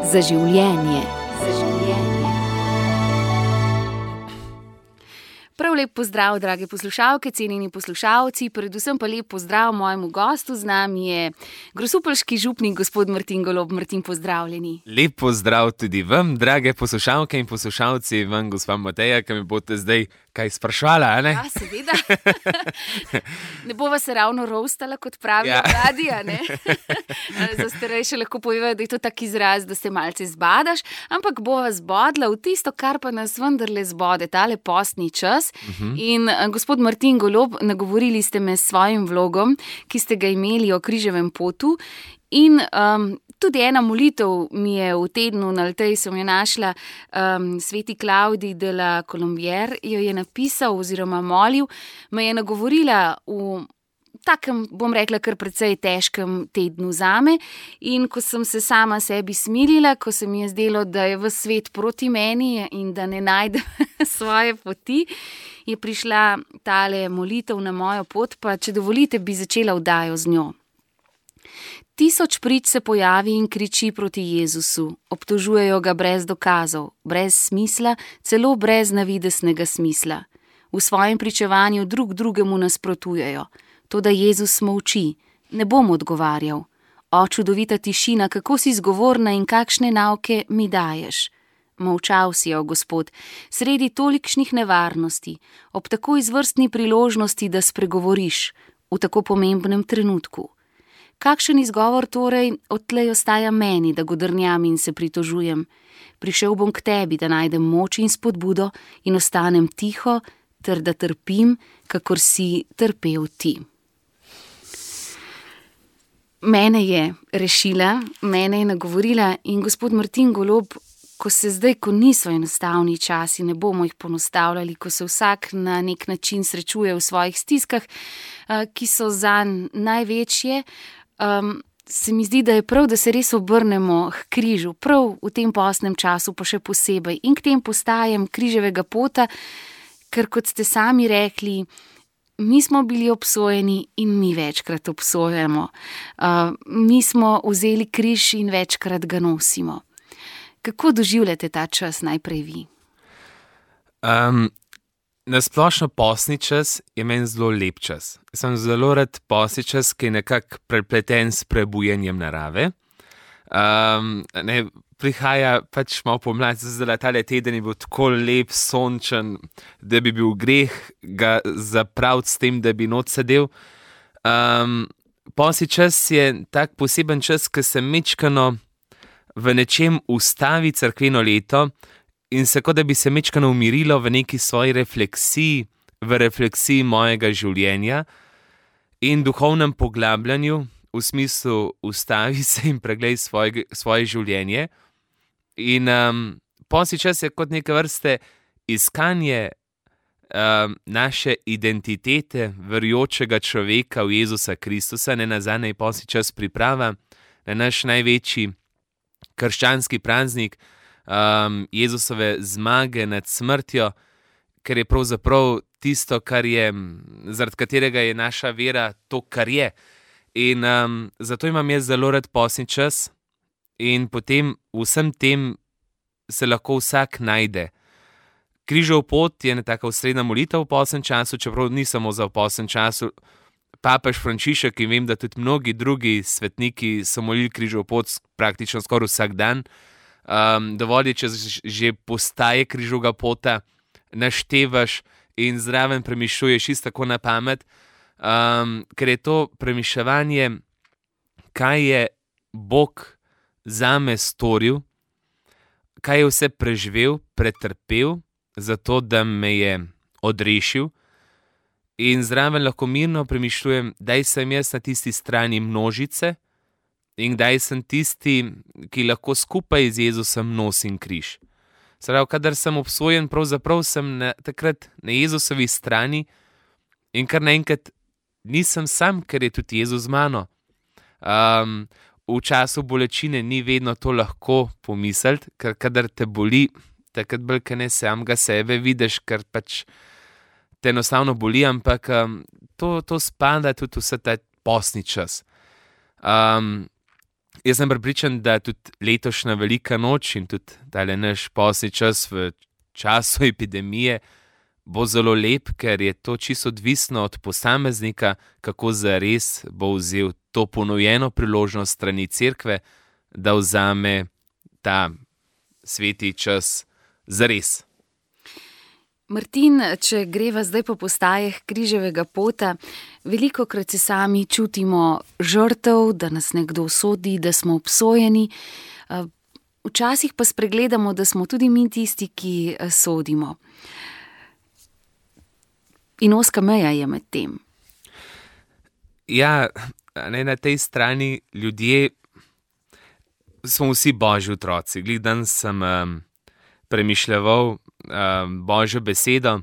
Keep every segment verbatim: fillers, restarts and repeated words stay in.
Za življenje. Za življenje. Prav lep pozdrav, drage poslušalke, cenjeni poslušalci, predvsem pa lep pozdrav mojemu gostu. Z nami je grosupeljski župnik, gospod Martin Golob. Martin, pozdravljeni. Lep pozdrav tudi vam, drage poslušalke in poslušalci, vam, gospa Mateja, ki me boste zdaj kaj sprašvala, a ne? Ja, seveda. Ne bova se ravno roastala, kot pravijo Ja. radi, a ne? Za starejše lahko povejo, da je to tak izraz, da se malce zbadaš, ampak bova zbodla v tisto, kar pa nas vendarle zbode, tale postni čas. In eh, gospod Martin Golob, nagovorili ste me s svojim vlogom, ki ste ga imeli o križevem potu. In um, tudi ena molitev mi je v tednu na Alteji, sem jo našla, um, sveti Klavdij de la Colombière jo je napisal oziroma molil, me je nagovorila v takem, bom rekla, kar precej težkem tednu zame. In ko sem se sama sebi smilila, ko se mi je zdelo, da je ves svet proti meni in da ne najdem svoje poti, je prišla tale molitev na mojo pot, pa če dovolite, bi začela vdajo z njo. Tisoč prič se pojavi in kriči proti Jezusu, obtožujejo ga brez dokazov, brez smisla, celo brez navidesnega smisla. V svojem pričevanju drug drugemu nasprotujejo. Toda Jezus molči, ne bom odgovarjal. O, čudovita tišina, kako si zgovorna in kakšne nauke mi daješ. Molčal si, o Gospod, sredi tolikšnih nevarnosti, ob tako izvrstni priložnosti, da spregovoriš, v tako pomembnem trenutku. Kakšen izgovor torej odtlej ostaja meni, da godrnjam in se pritožujem? Prišel bom k tebi, da najdem moč in spodbudo in ostanem tiho, ter da trpim, kakor si trpel ti. Mene je rešila, mene je nagovorila in gospod Martin Golob, ko se zdaj, ko niso enostavni časi, ne bomo jih ponostavljali, ko se vsak na nek način srečuje v svojih stiskah, ki so zanj največje, Um, se mi zdi, da je prav, da se res obrnemo k križu, prav v tem postnem času pa še posebej in k tem postajem križevega pota, ker kot ste sami rekli, mi smo bili obsojeni in mi večkrat obsojamo. Uh, mi smo vzeli križ in večkrat ga nosimo. Kako doživljate ta čas najprej vi? Um, na splošno postni čas je meni zelo lep čas. Sem zelo rad postni čas, ki je nekako prepleten s prebujenjem narave. Um, ne, prihaja pač malo pomlad, zdaj tale teden je bil tako lep, sončen, da bi bil greh ga zapraviti s tem, da bi not sedel. Um, postni čas je tak poseben čas, ki se mečkano v nečem ustavi cerkveno leto in se kot da bi se mečkano umirilo v neki svoji refleksiji, v refleksiji mojega življenja in duhovnem poglabljanju, v smislu ustavi se in preglej svoje, svoje življenje. In um, postni čas je kot neke vrste iskanje um, naše identitete verujočega človeka v Jezusa Kristusa, ne nazadnje je postni čas priprava na naš največji krščanski praznik, um, Jezusove zmage nad smrtjo, ker je pravzaprav tisto, kar je, zaradi katerega je naša vera to, kar je. In um, zato imam jaz zelo rad postni čas in potem vsem tem se lahko vsak najde. Križev pot je ena taka osrednja molitev v postnem času, čeprav ni samo za v postnem času. Papež Frančišek in vem, da tudi mnogi drugi svetniki so molili križev pot praktično skoraj vsak dan. Um, dovolj je, če že postaje križevega pota, naštevaš in zraven premišljuješ isto tako na pamet, um, ker je to premišljevanje, kaj je Bog zame storil, kaj je vse preživel, pretrpel, zato da me je odrešil. In zraven lahko mirno premišljujem, daj sem jaz na tisti strani množice in daj sem tisti, ki lahko skupaj z Jezusom nosim križ. Pravi, kadar sem obsojen, pravzaprav sem na, takrat na Jezusovi strani in kar naenkrat nisem sam, ker je tudi Jezus z mano. Um, v času bolečine ni vedno to lahko pomisliti, ker kadar te boli, takrat bolj, ker ne samega sebe vidiš, ker pač te enostavno boli, ampak um, to, to spada tudi vse ta postni čas. Um, jaz sem prepričan, da tudi letošnja velika noč in tudi tale naš posni čas v času epidemije bo zelo lep, ker je to čisto odvisno od posameznika, kako zares bo vzel to ponujeno priložnost strani cerkve, da vzame ta sveti čas zares. Martin, če greva zdaj po postajah križevega pota, velikokrat se sami čutimo žrtev, da nas nekdo sodi, da smo obsojeni. Včasih pa spregledamo, da smo tudi mi tisti, ki sodimo. In ozka meja je med tem. Ja, ne, na tej strani ljudje smo vsi božji otroci. Glih danes sem um, premišljeval um, božjo besedo.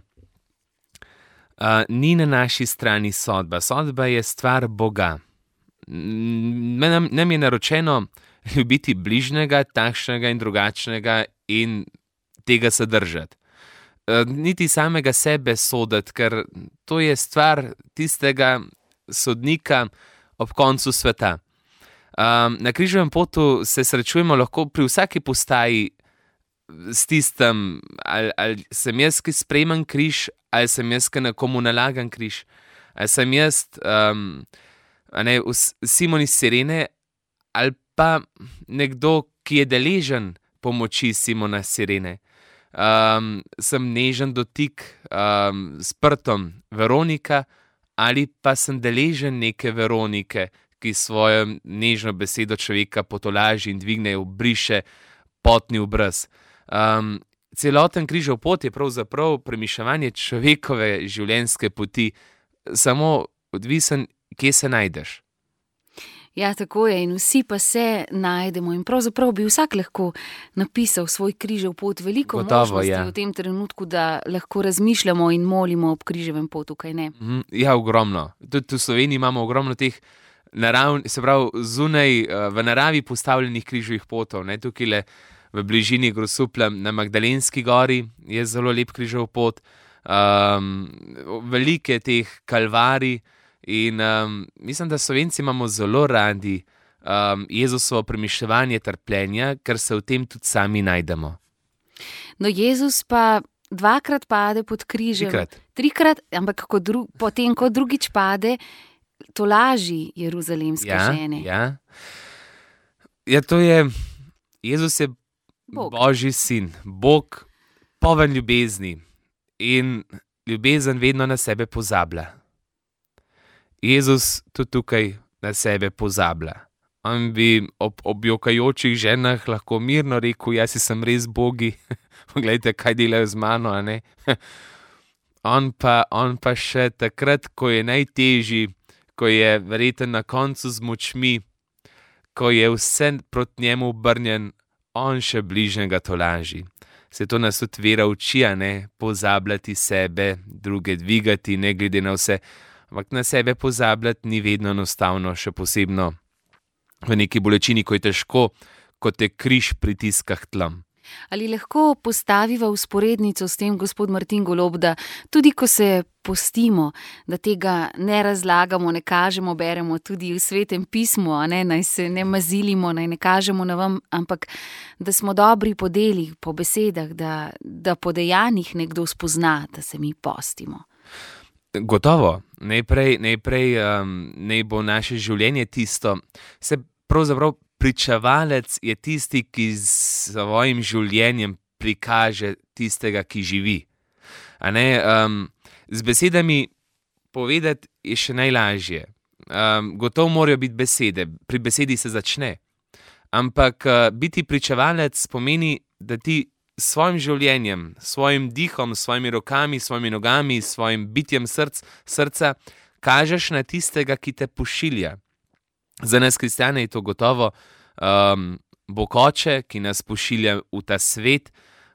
Uh, ni na naši strani sodba. Sodba je stvar Boga. Nam, nam je naročeno ljubiti bližnjega, takšnega in drugačnega in tega se držati. Niti samega sebe soditi, ker to je stvar tistega sodnika ob koncu sveta. Um, na križevem potu se srečujemo lahko pri vsaki postaji s tistem, ali, ali sem jaz, ki sprejemam križ, ali sem jaz, ki nekomu nalagam križ, ali sem jaz um, ne, Simon iz Sirene, ali pa nekdo, ki je deležen pomoči Simona Sirene. Um, sem nežen dotik um, s prtom Veronika, ali pa sem deležen neke Veronike, ki svojo nežno besedo človeka potolaži in dvigne, obriše potni obraz. Um, celoten križev pot je pravzaprav premišljevanje človekove življenjske poti, samo odvisen, kje se najdeš. Ja, tako je, in vsi pa se najdemo in pravzaprav bi vsak lahko napisal svoj križev pot. Veliko Gotovo, možnosti ja. v tem trenutku, da lahko razmišljamo in molimo ob križevem potu, kaj ne? Ja, ogromno. Tudi v Sloveniji imamo ogromno teh naravn, se pravi, zunaj v naravi postavljenih križevih potov. Ne? Tukaj le v bližini Grosuplja na Magdalenski gori je zelo lep križev pot. Um, velike teh kalvarij. In um, mislim, da Slovenci imamo zelo radi um, Jezusovo premišljevanje trpljenja, ker se v tem tudi sami najdemo. No, Jezus pa dvakrat pade pod križem. Trikrat. Trikrat, ampak ko dru, potem, ko drugič pade, tolaži jeruzalemske ja, žene. Ja. ja, to je, Jezus je Bog. Božji sin, Bog, poln ljubezni in ljubezen vedno na sebe pozablja. Jezus tudi tukaj na sebe pozablja. On bi ob objokajočih ženah lahko mirno rekel, jaz sem res bogi, poglejte, kaj delajo z mano, a ne? on, pa, on pa še takrat, ko je najtežji, ko je verjetno na koncu z močmi, ko je vse proti njemu obrnjen, on še bližnjega tolaži. Se to nas tudi vera uči, a ne? Pozabljati sebe, druge dvigati, ne glede na vse. Ampak na sebe pozabljati ni vedno enostavno, še posebno v neki bolečini, ko je težko, ko te križ pritiska k tlom. Ali lahko postaviva vzporednico s tem, gospod Martin Golob, da tudi ko se postimo, da tega ne razlagamo, ne kažemo, beremo tudi v Svetem pismu, a ne, naj se ne mazilimo, naj ne kažemo na vam, ampak da smo dobri po delih, po besedah, da, da po dejanjih nekdo spozna, da se mi postimo. Gotovo, najprej, najprej um, naj bo naše življenje tisto, se pravzaprav pričevalec je tisti, ki s svojim življenjem prikaže tistega, ki živi. A ne, um, z besedami povedati je še najlažje. Um, gotovo morajo biti besede, pri besedi se začne. Ampak uh, biti pričevalec pomeni, da ti s svojim življenjem, svojim dihom, svojimi rokami, svojimi nogami, svojim bitjem src, srca, kažeš na tistega, ki te pošilja. Za nas kristjane je to gotovo um, Bog Oče, ki nas pošilja v ta svet,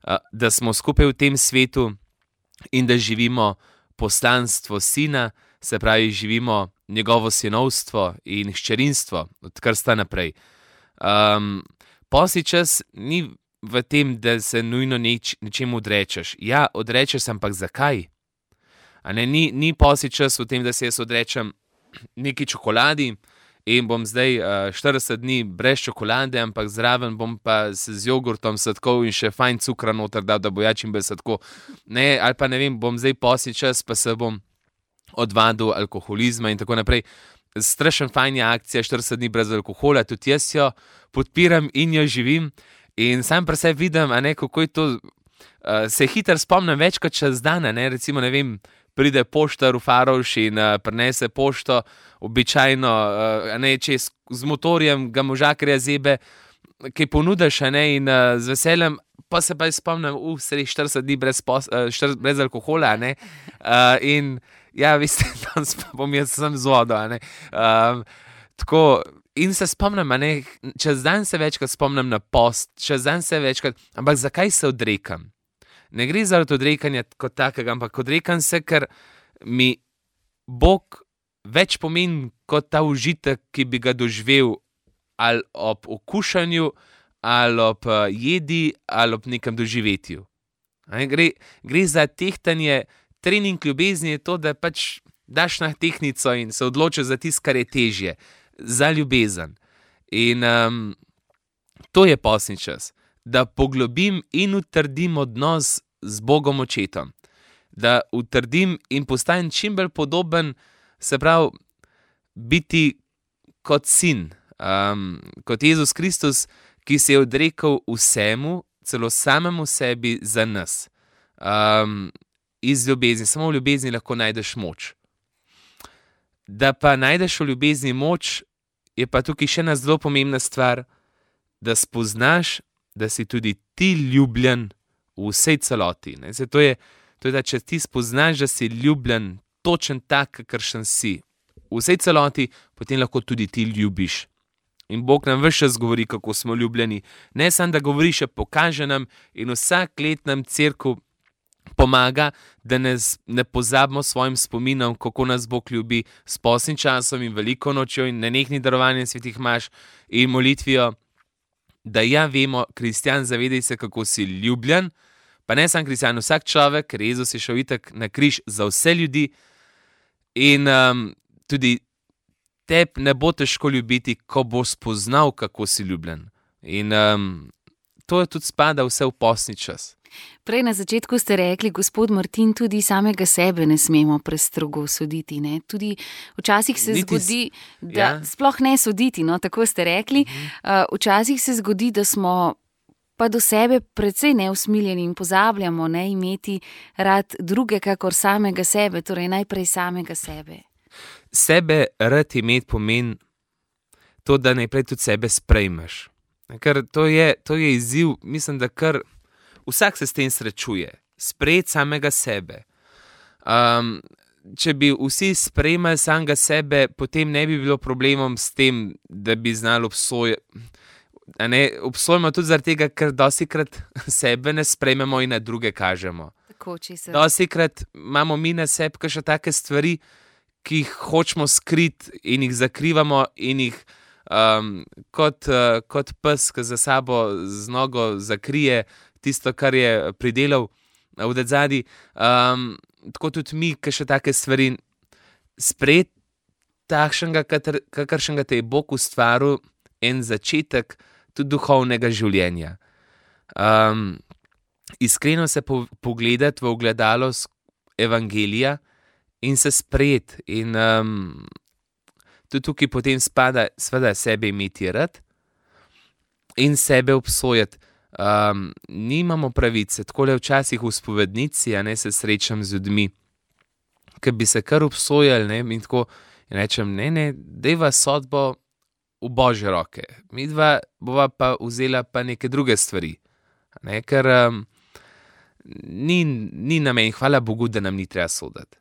uh, da smo skupaj v tem svetu in da živimo poslanstvo Sina, se pravi, živimo njegovo sinovstvo in hčerinstvo, od krsta naprej. Um, Posni čas ni v tem, da se nujno neč, nečemu odrečeš. Ja, odrečeš, ampak zakaj? A ne, ni, ni posni čas v tem, da se jaz odrečem neki čokoladi in bom zdaj uh, štirideset dni brez čokolade, ampak zraven bom pa se z jogurtom sadkov in še fajn cukra noter dal, da bo ja čim bolj sadko. Ne, ali pa ne vem, bom zdaj posni čas, pa se bom odvadil alkoholizma in tako naprej. Strašen fajn je akcija štirideset dni brez alkohola, tudi jaz jo podpiram in jo živim in sam pri sebi vidim, a ne, kako je to, uh, se hitro spomnim več kot čez dan, ne, recimo, ne vem, pride poštar v Faroš in uh, prinese pošto, običajno, uh, a ne, če z, z motorjem ga možakarja zebe, kaj ponudiš, a ne, in uh, z veseljem, pa se pa spomnim, uh, sredi štirideset dni brez, pos, uh, štirideset, brez alkohola, a ne, uh, in ja, veste, danes pa bom jaz sem z vodo, a ne. Um, tako, in se spomnim, a ne, čez dan se večkrat spomnim na post, čez dan se večkrat, ampak zakaj se odrekam? Ne gre zaradi odrekanja kot takega, ampak odrekam se, ker mi Bog več pomeni kot ta užitek, ki bi ga doživel ali ob okušanju, ali ob uh, jedi, ali ob nekem doživetju. A ne, gre, gre za tehtanje. Trening ljubezni je to, da pač daš na tehtnico in se odločiš za tisto, kar je težje, za ljubezen. In um, to je postni čas, da poglobim in utrdim odnos z Bogom očetom, da utrdim in postanem čim bolj podoben, se pravi, biti kot sin, um, kot Jezus Kristus, ki se je odrekel vsemu, celo samemu sebi za nas. Um, iz ljubezni, samo v ljubezni lahko najdeš moč. Da pa najdeš v ljubezni moč, je pa tukaj še ena zelo pomembna stvar, da spoznaš, da si tudi ti ljubljen v vsej celoti. Ne? Zdaj, to je, to je, da če ti spoznaš, da si ljubljen, točen tak, kakršen si, v vsej celoti, potem lahko tudi ti ljubiš. In Bog nam ves čas govori, kako smo ljubljeni. Ne samo, da govori, še pokaže nam in vsak let nam cerkev pomaga, da ne, ne pozabimo svojim spominom, kako nas Bog ljubi s postnim časom in veliko nočjo in nenehnim darovanjem svetih maš in molitvijo, da ja vemo, kristjan, zavedaj se, kako si ljubljen, pa ne sam kristjan, vsak človek, ker Jezus je šel itak na križ za vse ljudi in um, tudi tebi ne bo težko ljubiti, ko bo spoznal, kako si ljubljen. In um, to je tudi spada vse v postni čas. Prej na začetku ste rekli, gospod Martin, tudi samega sebe ne smemo prestrogo soditi. Ne? Tudi včasih se Niti zgodi, da ja. sploh ne soditi, no, tako ste rekli. Uh, včasih se zgodi, da smo pa do sebe precej neusmiljeni in pozabljamo ne imeti rad druge, kakor samega sebe, torej najprej samega sebe. Sebe rad imeti pomeni to, da najprej tudi sebe sprejmeš. Ker to je, to je izziv, mislim, da kar vsak se s tem srečuje, sprejeti samega sebe. Um, če bi vsi sprejemali samega sebe, potem ne bi bilo problemom s tem, da bi znali obsojati. Obsojamo tudi zaradi tega, ker dostikrat sebe ne sprejmemo in na druge kažemo. Dostikrat imamo mi na sebi še take stvari, ki jih hočemo skriti in jih zakrivamo in jih um, kot, uh, kot pes, ki za sabo z nogo zakrije tisto, kar je pridelal v dedzadi. Um, tako tudi mi, ki še take stvari sprejeti takšnega, kakršnega te je Bog ustvaril, en začetek tudi duhovnega življenja. Um, iskreno se po, pogledati v ogledalo evangelija in se sprejeti. In um, tudi tukaj potem spada seveda sebe imeti rad in sebe obsojati. Um, nimamo pravice, tako le včasih v spovednici, a ne se srečam z ljudmi, ki bi se kar obsojali, ne, in tako in rečem, ne, ne, dejva sodbo v Božje roke, mi dva bova pa vzela pa neke druge stvari, ne, ker um, ni, ni namen, hvala Bogu, da nam ni treba soditi.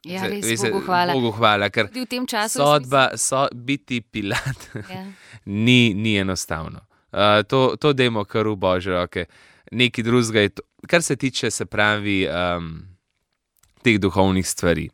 Ja, res, Vese, Bogu hvala. Bogu hvala, ker v tem času sodba, so, biti Pilat, ja. ni, ni enostavno. Uh, to, to dajmo kar v Božje roke. Nekaj drugega je to, kar se tiče, se pravi, um, teh duhovnih stvari.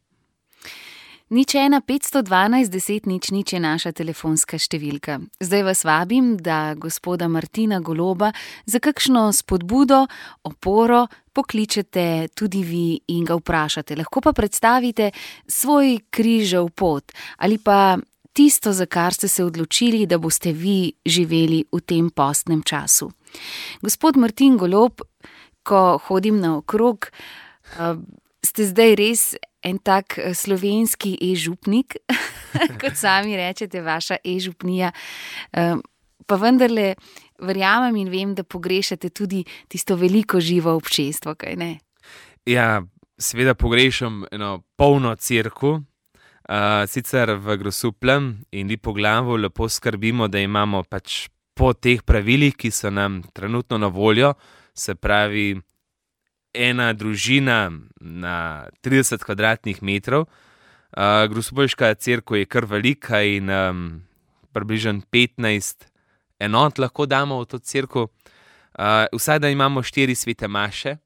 Nič ena, petsto dvanajst, deset, nič, nič je naša telefonska številka. Zdaj vas vabim, da gospoda Martina Goloba za kakšno spodbudo, oporo pokličete tudi vi in ga vprašate. Lahko pa predstavite svoj križev pot ali pa tisto, za kar ste se odločili, da boste vi živeli v tem postnem času. Gospod Martin Golob, ko hodim naokrog, ste zdaj res en tak slovenski e-župnik, kot sami rečete, vaša e-župnija, pa vendarle verjamem in vem, da pogrešate tudi tisto veliko živo občestvo, kaj ne? Ja, seveda pogrešam eno polno cerkev, uh, sicer v Grosupljem in Lipoglavu lepo skrbimo, da imamo pač po teh pravilih, ki so nam trenutno na voljo, se pravi ena družina na trideset kvadratnih metrov. Uh, Grosupeljska cerkev je kar velika in um, približno petnajst enot lahko damo v to cerkev. Uh, vsaj da imamo štiri svete maše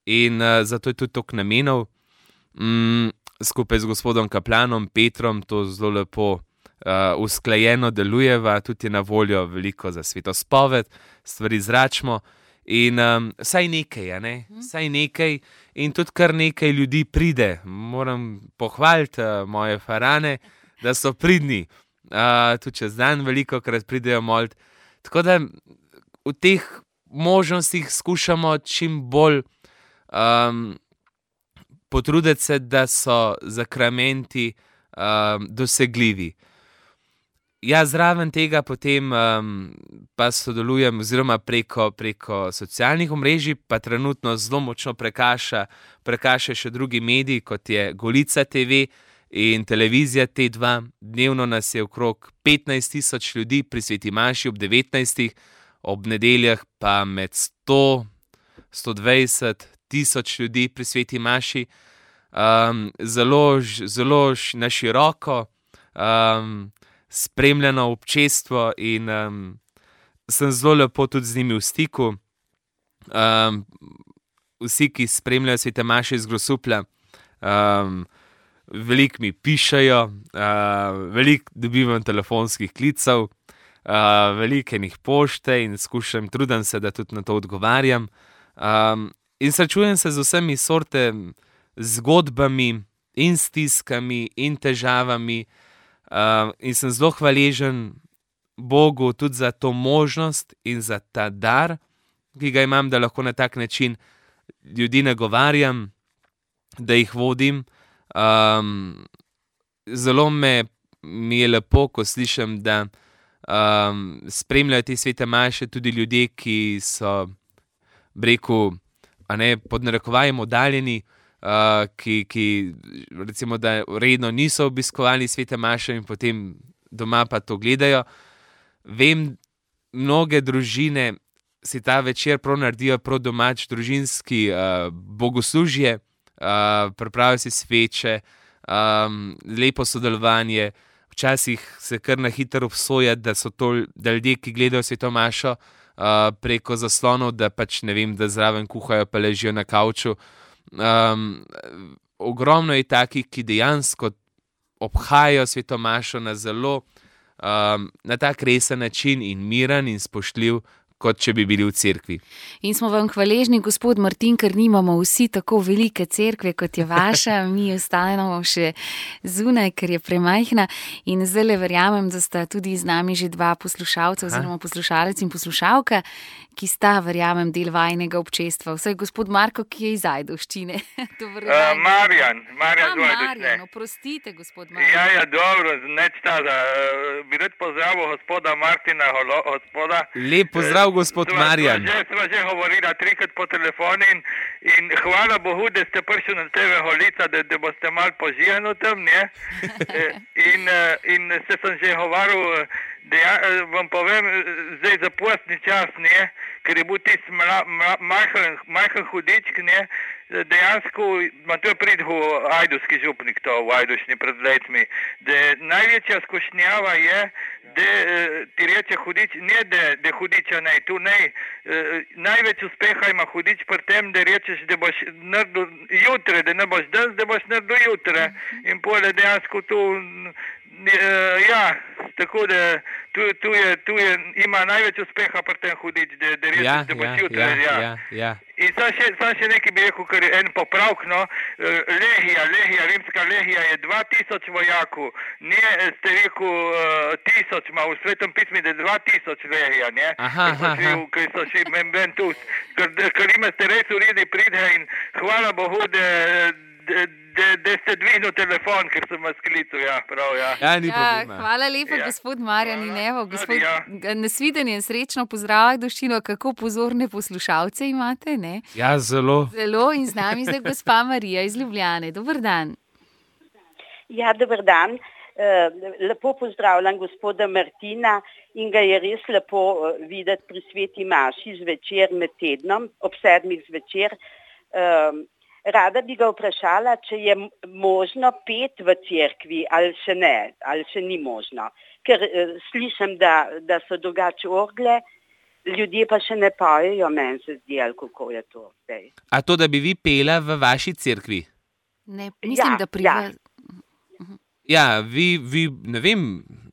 in uh, zato je tudi toliko namenov. Mm, skupaj z gospodom kaplanom Petrom to zelo lepo uh, usklajeno delujeva, tudi je na voljo veliko za svetospoved, stvari zračimo. In um, vsaj nekaj, ja, ne? Vsaj nekaj in tudi kar nekaj ljudi pride. Moram pohvaliti uh, moje farane, da so pridni. Uh, tudi čez dan veliko krat pridejo molit. Tako da v teh možnostih skušamo čim bolj um, potruditi se, da so zakramenti um, dosegljivi. Ja, zraven tega potem um, pa sodelujem oziroma preko, preko socialnih omrežij, pa trenutno zelo močno prekaša, prekaša še drugi mediji, kot je Golica te ve in televizija T dva. Dnevno nas je okrog petnajst tisoč ljudi pri sveti maši ob devetnajstih, ob nedeljah pa med sto, sto dvajset tisoč ljudi pri sveti maši. Um, zelo, zelo na široko um, spremljeno občestvo in um, sem zelo lepo tudi z njimi v stiku. Um, vsi, ki spremljajo svete maše iz Grosuplja, um, veliko mi pišejo, uh, veliko dobivam telefonskih klicev, uh, veliko enih pošte in skušam, trudim se, da tudi na to odgovarjam. Um, in srečujem se z vsemi sorte zgodbami in stiskami in težavami. Uh, in sem zelo hvaležen Bogu tudi za to možnost in za ta dar, ki ga imam, da lahko na tak način ljudi nagovarjam, da jih vodim. Um, zelo me, mi je lepo, ko slišim, da um, spremljajo te svete maše tudi ljudje, ki so, rekel, a ne, pod narekovajem oddaljeni, Uh, ki, ki recimo, da redno niso obiskovali svete maše in potem doma pa to gledajo. Vem, mnoge družine si ta večer prav naredijo prav domač družinski uh, bogoslužje, uh, pripravijo si sveče, um, lepo sodelovanje. Včasih se kar na hitro obsoja, da so to da ljudje, ki gledajo sveto mašo uh, preko zaslonov, da pač ne vem, da zraven kuhajo pa ležijo na kavču. Um, ogromno je takih, ki dejansko obhajajo sveto mašo na zelo um, na tak resen način in miren in spoštljiv, kot če bi bili v cerkvi. In smo vam hvaležni, gospod Martin, ker nimamo vsi tako velike cerkve, kot je vaša, mi ostajamo še zunaj, ker je premajhna in zdaj verjamem, da sta tudi z nami že dva poslušalca oziroma poslušalec in poslušalka, ki sta, verjamem, del vajnega občestva. Vsaj gospod Marko, ki je iz Ajdovščine. Uh, Marjan, Marjan, A, Marjan, oprostite, gospod Marjan. Ja, ja, dobro, neč tada. Uh, bi rad pozdravil gospoda Martina, holo, gospoda. Lep pozdrav, gospod Sva, Marjan. Sva že, sva že govorila trikrat po telefonu in, in hvala Bogu, da ste prišli na tebe Holica, da, da boste malo požijani tam, ne? in, in se sem že govoril, da ja, vam povem, zdaj za postni čas, ne? Ker je bil tisti majhen, majhen hudičk, ne? Dejansko, ma to je pridhu ajdovski župnik to v Ajdošni pred letmi, da največja skušnjava je, da ti reče hudič, ne da, da hudiča ne, tu ne, največ uspeha ima hudič pri tem, da rečeš, da boš naredil jutre, da ne boš danes, da boš naredil jutre in pole dejansko tu Uh, ja, tako da tu, tu, je, tu je, ima največ uspeha pri tem hudič, da, da res Ja, da boš ja, jutri. ja, ja, ja. In sam še, sam še nekaj bi rekel, ker je en popravk, no, eh, legija, legija, rimska legija je dva tisoč vojakov, ne ste rekel uh, tisoč, ima v Svetem pismu, da je dva tisoč legija, ne? Aha, Ker so aha, šli aha. v- Ker so šli membentus, ker, ker imate res uredi pride in hvala Bogu, da, da, da, da ste dvignil telefon, ker sem vas klical, ja, prav, ja. Ja, ni Ja, problema. hvala lepa, Ja. gospod Marjan in Hvala. evo, Tudi gospod, ja. nasvidenje, srečno pozdravljaj doščino, kako pozorne poslušalce imate, ne? Ja, zelo. Zelo in z nami zdaj gospa Marija iz Ljubljane. Dober dan. Ja, dober dan. Eh, Lepo pozdravljam gospoda Martina in ga je res lepo eh, videti pri sveti maši zvečer med tednom, ob sedmih zvečer. Eh, Rada bi ga vprašala, če je m- možno pet v cerkvi ali še ne, ali še ni možno. Ker eh, slišim, da, da so drugače orgle, ljudje pa še ne pojejo, meni se zdi, ali kako je to zdaj. A to, da bi vi pela v vaši cerkvi? Ne, mislim, Ja, da priva... ja. Ja, vi, vi ne vem,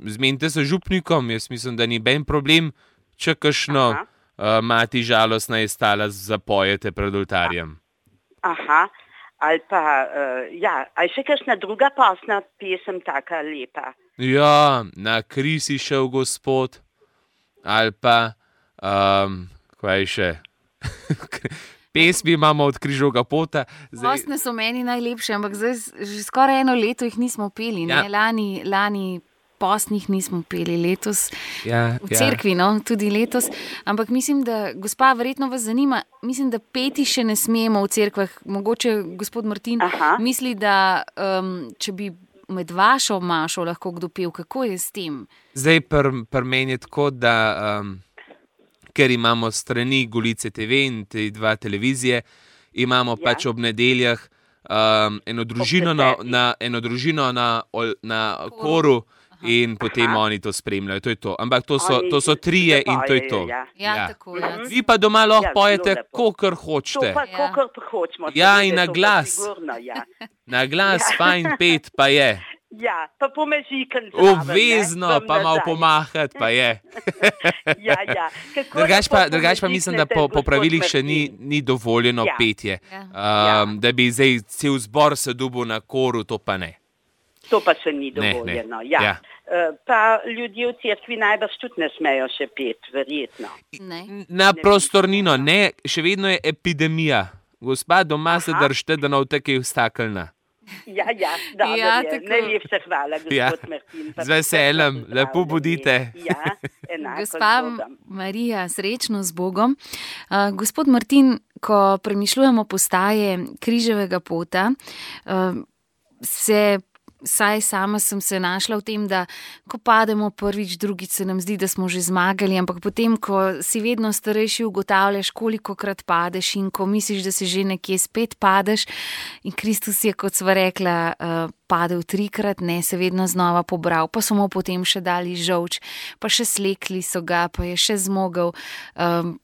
zmenite se z župnikom, jaz mislim, da ni ben problem, če kakšno Aha. uh, mati žalostna je stala, zapojete pred oltarjem. Aha, ali pa, uh, ja, ali še kakšna druga posna pesem taka lepa. Ja, na kri si šel gospod, ali pa, um, kaj še, pesmi imamo od križovega pota. Postne so meni najlepše, ampak zdaj s- že skoraj eno leto jih nismo peli. Ne? Ja. Lani, lani postnih nismo peli, letos ja, v cerkvi, no, tudi letos. Ampak mislim, da, gospa, verjetno vas zanima, mislim, da peti še ne smemo v cerkvah. Mogoče gospod Martin Aha. misli, da um, če bi med vašo mašo lahko kdo pel, kako je s tem? Zdaj pri pr meni je tako, da um, ker imamo strani Golice T V in te dva televizije, imamo ja. pač ob nedeljah um, eno, družino na, desetih. na, eno družino na, ol- na koru in potem Aha. oni to spremljajo. To je to. Ampak to so, Oni to so trije in to je to. zapojejo, ja. Ja, Ja. tako je. Mhm. Vi pa doma lahko Ja, pojete, zelo lepo. kakor To hočete. pa, Ja. kakor hočemo. Ja, seveda, in na to pa glas. Sigurno, ja. Na glas Ja. fajn pet pa je. ja, pa pomežikam zraven. Obvezno ne, pa vam malo nazaj. pomahati pa je. Ja, ja. Kako Drugač pa, lepo drugač pa mislim, da po, pomežiknete, po gospod pravilih še ni, Martin. ni dovoljeno Ja. petje. Ja. Um, da bi zdaj cel zbor se dubil na koru, to pa ne. To pa še ni Ne, ne. dovoljeno. Ja. Ja. Eh, Pa ljudje v cerkvi najbrž tudi ne smejo še pet, verjetno. Ne. Na Ne prostornino, ne, še vedno je epidemija. Gospa, doma se Aha. držite, da ne bo tekaj vstakelna. Ja, ja, dobro Ja, je. tako. Najlepša hvala, gospod Ja. Martin. pa Z veseljem, prisrčno lepo pozdravljeni. bodite. Ja, enako Gospa z Bogom. Marija, srečno z Bogom. Uh, gospod Martin, ko premišljujemo postaje križevega pota, uh, se, saj sama sem se našla v tem, da ko pademo prvič, drugič se nam zdi, da smo že zmagali, ampak potem, ko si vedno starejši, ugotavljaš, kolikokrat padeš in ko misliš, da si že nekje spet padeš. In Kristus je, kot sva rekla, uh, padel trikrat, ne se vedno znova pobral, pa so mu potem še dali žolč, pa še slekli so ga, pa je še zmogel. Um,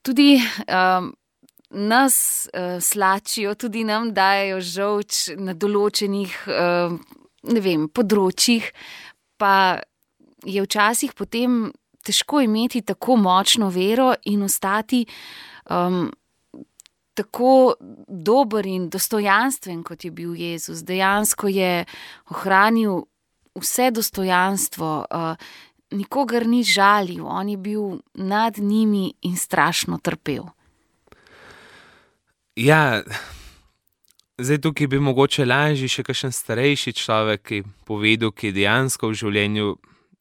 tudi um, nas uh, slačijo, tudi nam dajo žolč na določenih uh, ne vem, področjih, pa je včasih potem težko imeti tako močno vero in ostati um, tako dober in dostojanstven, kot je bil Jezus. Dejansko je ohranil vse dostojanstvo, uh, nikogar ni žalil, on je bil nad njimi in strašno trpel. Ja, zdaj tukaj bi mogoče lažje še kakšen starejši človek, ki je povedal, ki je dejansko v življenju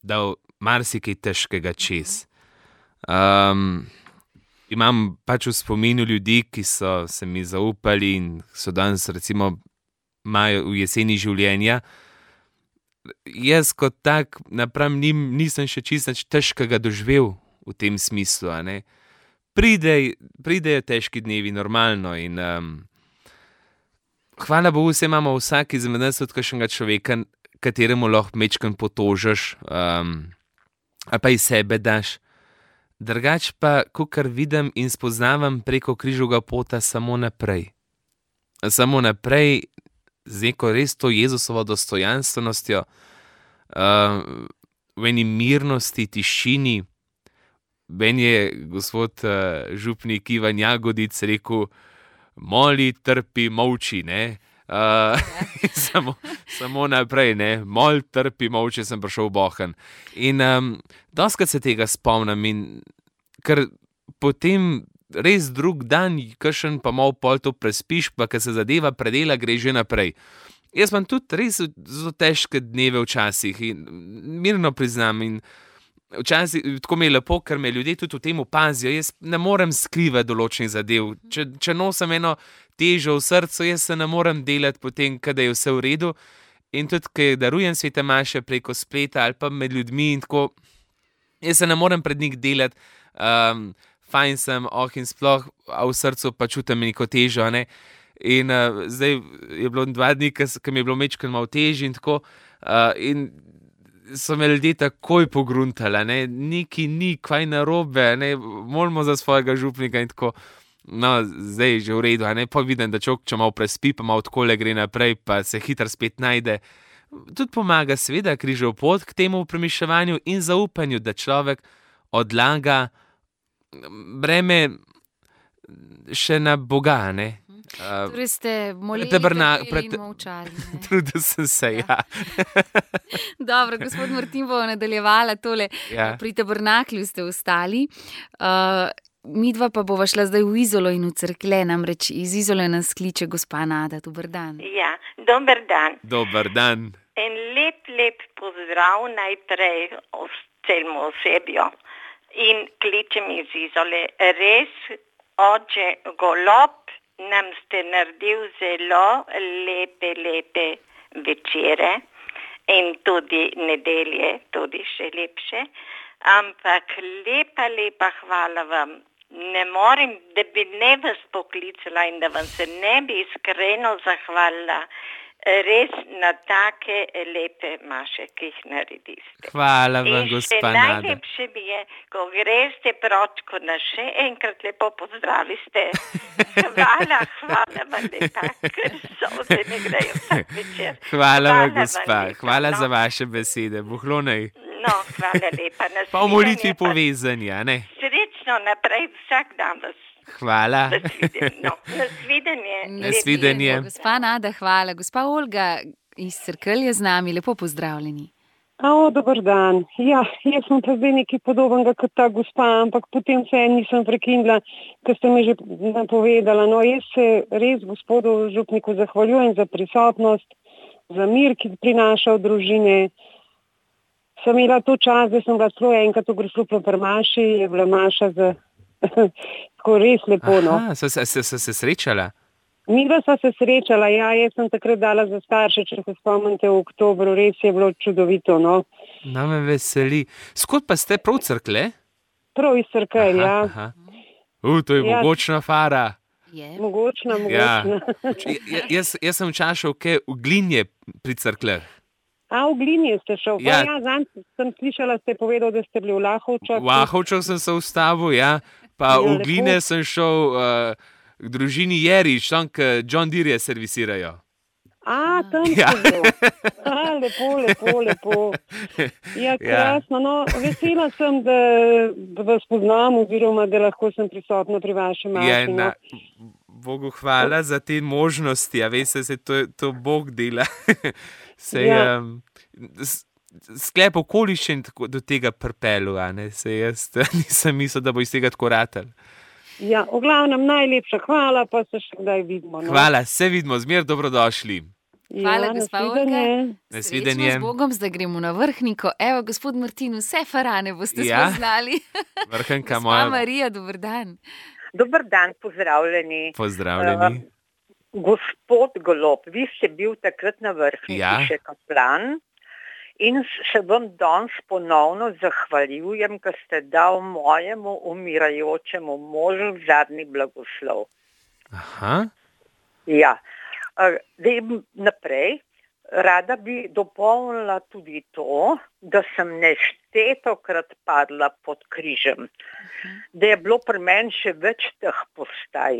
dal marsikaj težkega čez. Um, imam pač v spominu ljudi, ki so se mi zaupali in so danes recimo imajo v jeseni življenja. Jaz kot tak napram njim nisem še čisto nič težkega doživel v tem smislu, a ne. Pride, pridejo težki dnevi, normalno. In, um, hvala Bogu, vse imamo vsak izmed nas od kakšnega človeka, kateremu lahko mečkan potožiš, um, ali pa iz sebe daš. Drugač pa, kakor vidim in spoznavam preko križovega pota, samo naprej. Samo naprej, z neko res to Jezusovo dostojanstvenostjo, uh, v eni mirnosti, tišini. Ben je gospod uh, župnik Ivan Jagodic rekel, moli, trpi, molči, ne. Uh, samo, samo naprej, ne, mol, trpi, molči, sem prišel v Bohan. In um, doskrat se tega spomnim in ker potem res drug dan, kakšen pa malo pol to prespiš, pa ker se zadeva predela, gre že naprej. Jaz imam tudi res zelo težke dneve včasih in mirno priznam in včasih tako mi je lepo, ker me ljudje tudi v tem opazijo. Jaz ne morem skrivati določenih zadev. Če, če nosim eno težo v srcu, jaz se ne morem delati potem, kada je vse v redu. In tudi, ker darujem svete maše preko spleta ali pa med ljudmi in tako, jaz se ne morem pred njih delati, um, fajn sem, oh in sploh, a v srcu pa čutim neko težo, ne. In uh, zdaj je bilo dva dni, ki mi je bilo mečkeno malo težje in tako, uh, in so me ljudje takoj pogruntali, ne, neki ni, kaj narobe, ne, molimo za svojega župnika in tako, no, zdaj je že v redu, ne, pa vidim, da človek, če malo prespi, pa malo takole gre naprej, pa se hitro spet najde. Tudi pomaga seveda križev pot k temu premišljevanju in zaupanju, da človek odlaga breme še na Boga, ne. Uh, Torej ste molili, taberna- trpeli pred- in molčali. ne? Trudil sem se, ja. Dobro, gospod Martin bo nadaljevala tole. Ja. Pri tabernaklju ste ostali. Uh, midva pa bova šla zdaj v Izolo in v Cerklje, namreč iz Izole nas kliče gospa Nada. Dober dan. Ja, dober dan. Dober dan. En lep, lep pozdrav najprej celemu osebju. In kličem iz Izole. Res, oče Golob, nam ste naredil zelo lepe, lepe večere in tudi nedelje, tudi še lepše. Ampak lepa, lepa hvala vam. Ne morem, da bi ne vas poklicala in da vam se ne bi iskreno zahvalila res na take lepe maše, ki jih narediste. Hvala vam, In še gospa Nada. najlepše mi je, ko greste pročko na še enkrat lepo pozdraviste. Hvala, hvala vam lepa, ker solze mi grejo vsak večer. Hvala vam, vam gospa. lepa, Hvala no. za vaše besede. Bohlonej. No, hvala lepa. Pa v molitvi Nasvidenje, pa povezani, a ne? Srečno naprej, vsak dan vas. Hvala. Nasvidenje. No, nasvidenje. Nasvidenje. Gospa Nada, hvala. Gospa Olga iz Cerkelj je z nami. Lepo pozdravljeni. O, dober dan. Ja, jaz sem pa zdaj nekaj podobnega kot ta gospa, ampak potem se nisem prekinila, ker ste mi že napovedala. No, jaz se res gospodu župniku zahvaljujem za prisotnost, za mir, ki prinaša v družine. Sem imela to čas, da sem bila celo enkrat v Grosluplu pri maši, je bila maša za tako res lepo, no. Aha, so se, se, se, se srečala? Midva sva se srečala, ja, jaz sem takrat dala za starše, če se spomnite, v oktobru, res je bilo čudovito, no. No, me veseli. Skod pa ste prav Cerklje? Prav iz Cerkelj, ja. Aha. U, to je Ja. mogočna fara. Je. Mogočna, Ja. mogočna. Ja, jaz, jaz sem včasih kaj v Glinje pri Cerkljah. A, v Glinje ste šel. Ja. Ja, ja zanj sem slišala, ste povedal, da ste bili v Lahovčah. V Ahovčah sem se ustavil, ja. Pa Ja, v lepo. Gline sem šel uh, k družini Jerič, tam, k John Deere servisirajo. A, tam Ja. ste bil. A, lepo, lepo, lepo. Ja, krasno. No, vesela sem, da, da vas poznam oziroma, da lahko sem prisotna pri vašem Ja, maši. na, No. Bogu hvala za te možnosti, a veste, se to, to Bog dela. Se je Ja. um, sklep okoliščin tako do tega pripelju, a ne, se jaz nisem mislil, da bo iz tega tako ratal. Ja, v glavnem najlepša hvala, pa se še kdaj vidimo. No. Hvala, se vidimo, zmer dobrodošli. Hvala, ja, gospa nasvidenje. Olga. Nasvidenje. Srečno z Bogom, zdaj gremo na vrhniko. Evo, gospod Martin, vse farane boste Ja. spoznali. Vrhnka Gospa moja, Marija, dober dan. Dober dan, pozdravljeni. pozdravljeni. Gospod Golob, vi ste bil takrat na vrhniki Ja. še kaplan in se vam danes ponovno zahvaljujem, ker ste dal mojemu umirajočemu možu zadnji blagoslov. Aha, Ja, Eh, zdaj naprej. Rada bi dopolnila tudi to, da sem neštetokrat padla pod križem, da je bilo pri meni še več teh postaj.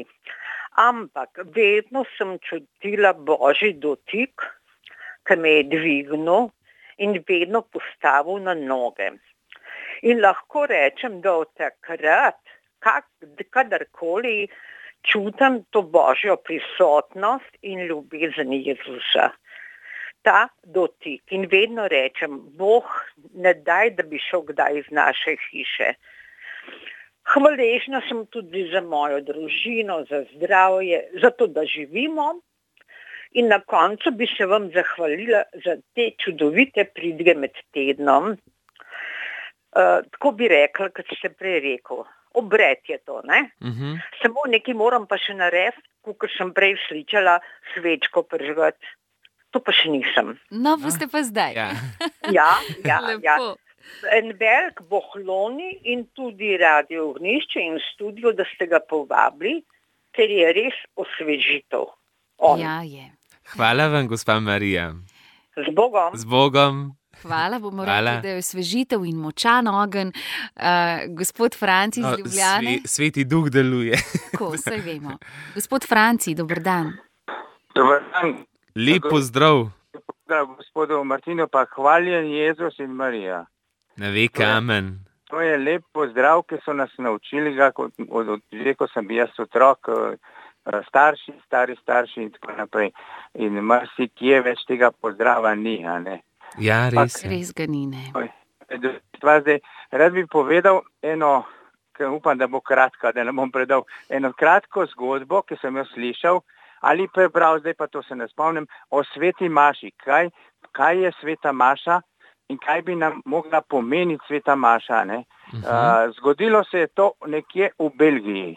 Ampak vedno sem čutila Božji dotik, ki me je dvignil in vedno postavil na noge. In lahko rečem, da od takrat, kak, kadarkoli čutim to Božjo prisotnost in ljubezen Jezusa. Ta dotik in vedno rečem, Bog ne daj, da bi šel kdaj iz naše hiše. Hvaležna sem tudi za mojo družino, za zdravje, za to, da živimo. In na koncu bi se vam zahvalila za te čudovite pridige med tednom. Uh, tako bi rekla, kot ste prej rekel, obred je to, ne? Mhm. Samo nekaj moram pa še narediti, kot sem prej slišala, svečko prižgati. To pa še nisem. No, boste pa zdaj. Ja. Ja, ja, Lepo. ja. En velik bohloni in tudi Radio Ognišče in studio, da ste ga povabili, ker je res osvežitev. On. Ja, je. Hvala vam, gospa Marija. Z Bogom. Z Bogom. Hvala, bomo Hvala. rekli, da je osvežitev in močan ogenj. Uh, gospod Franci iz No, Ljubljane. sve- Sveti duh deluje. Tako, saj vemo. Gospod Franci, dober dan. Dobar dan, Lep pozdrav. pozdrav gospodu Martinu, pa hvaljen Jezus in Marija. Na veke, amen. To je lep pozdrav, ki so nas naučili ga, kot, od, od, že ko sem bil jaz otrok, eh, starši, stari starši in tako naprej. In marsikje več tega pozdrava ni, a ne. Ja, res. je. Res ga ni, ne. Stvar zdaj, rad bi povedal eno, ki upam, da bo kratka, da ne bom predal, eno kratko zgodbo, ki sem jo slišal ali prebral, zdaj pa to se ne spomnim, o sveti Maši. Kaj, kaj je sveta Maša in kaj bi nam mogla pomeniti sveta Maša, ne? Mhm. Uh, zgodilo se je to nekje v Belgiji.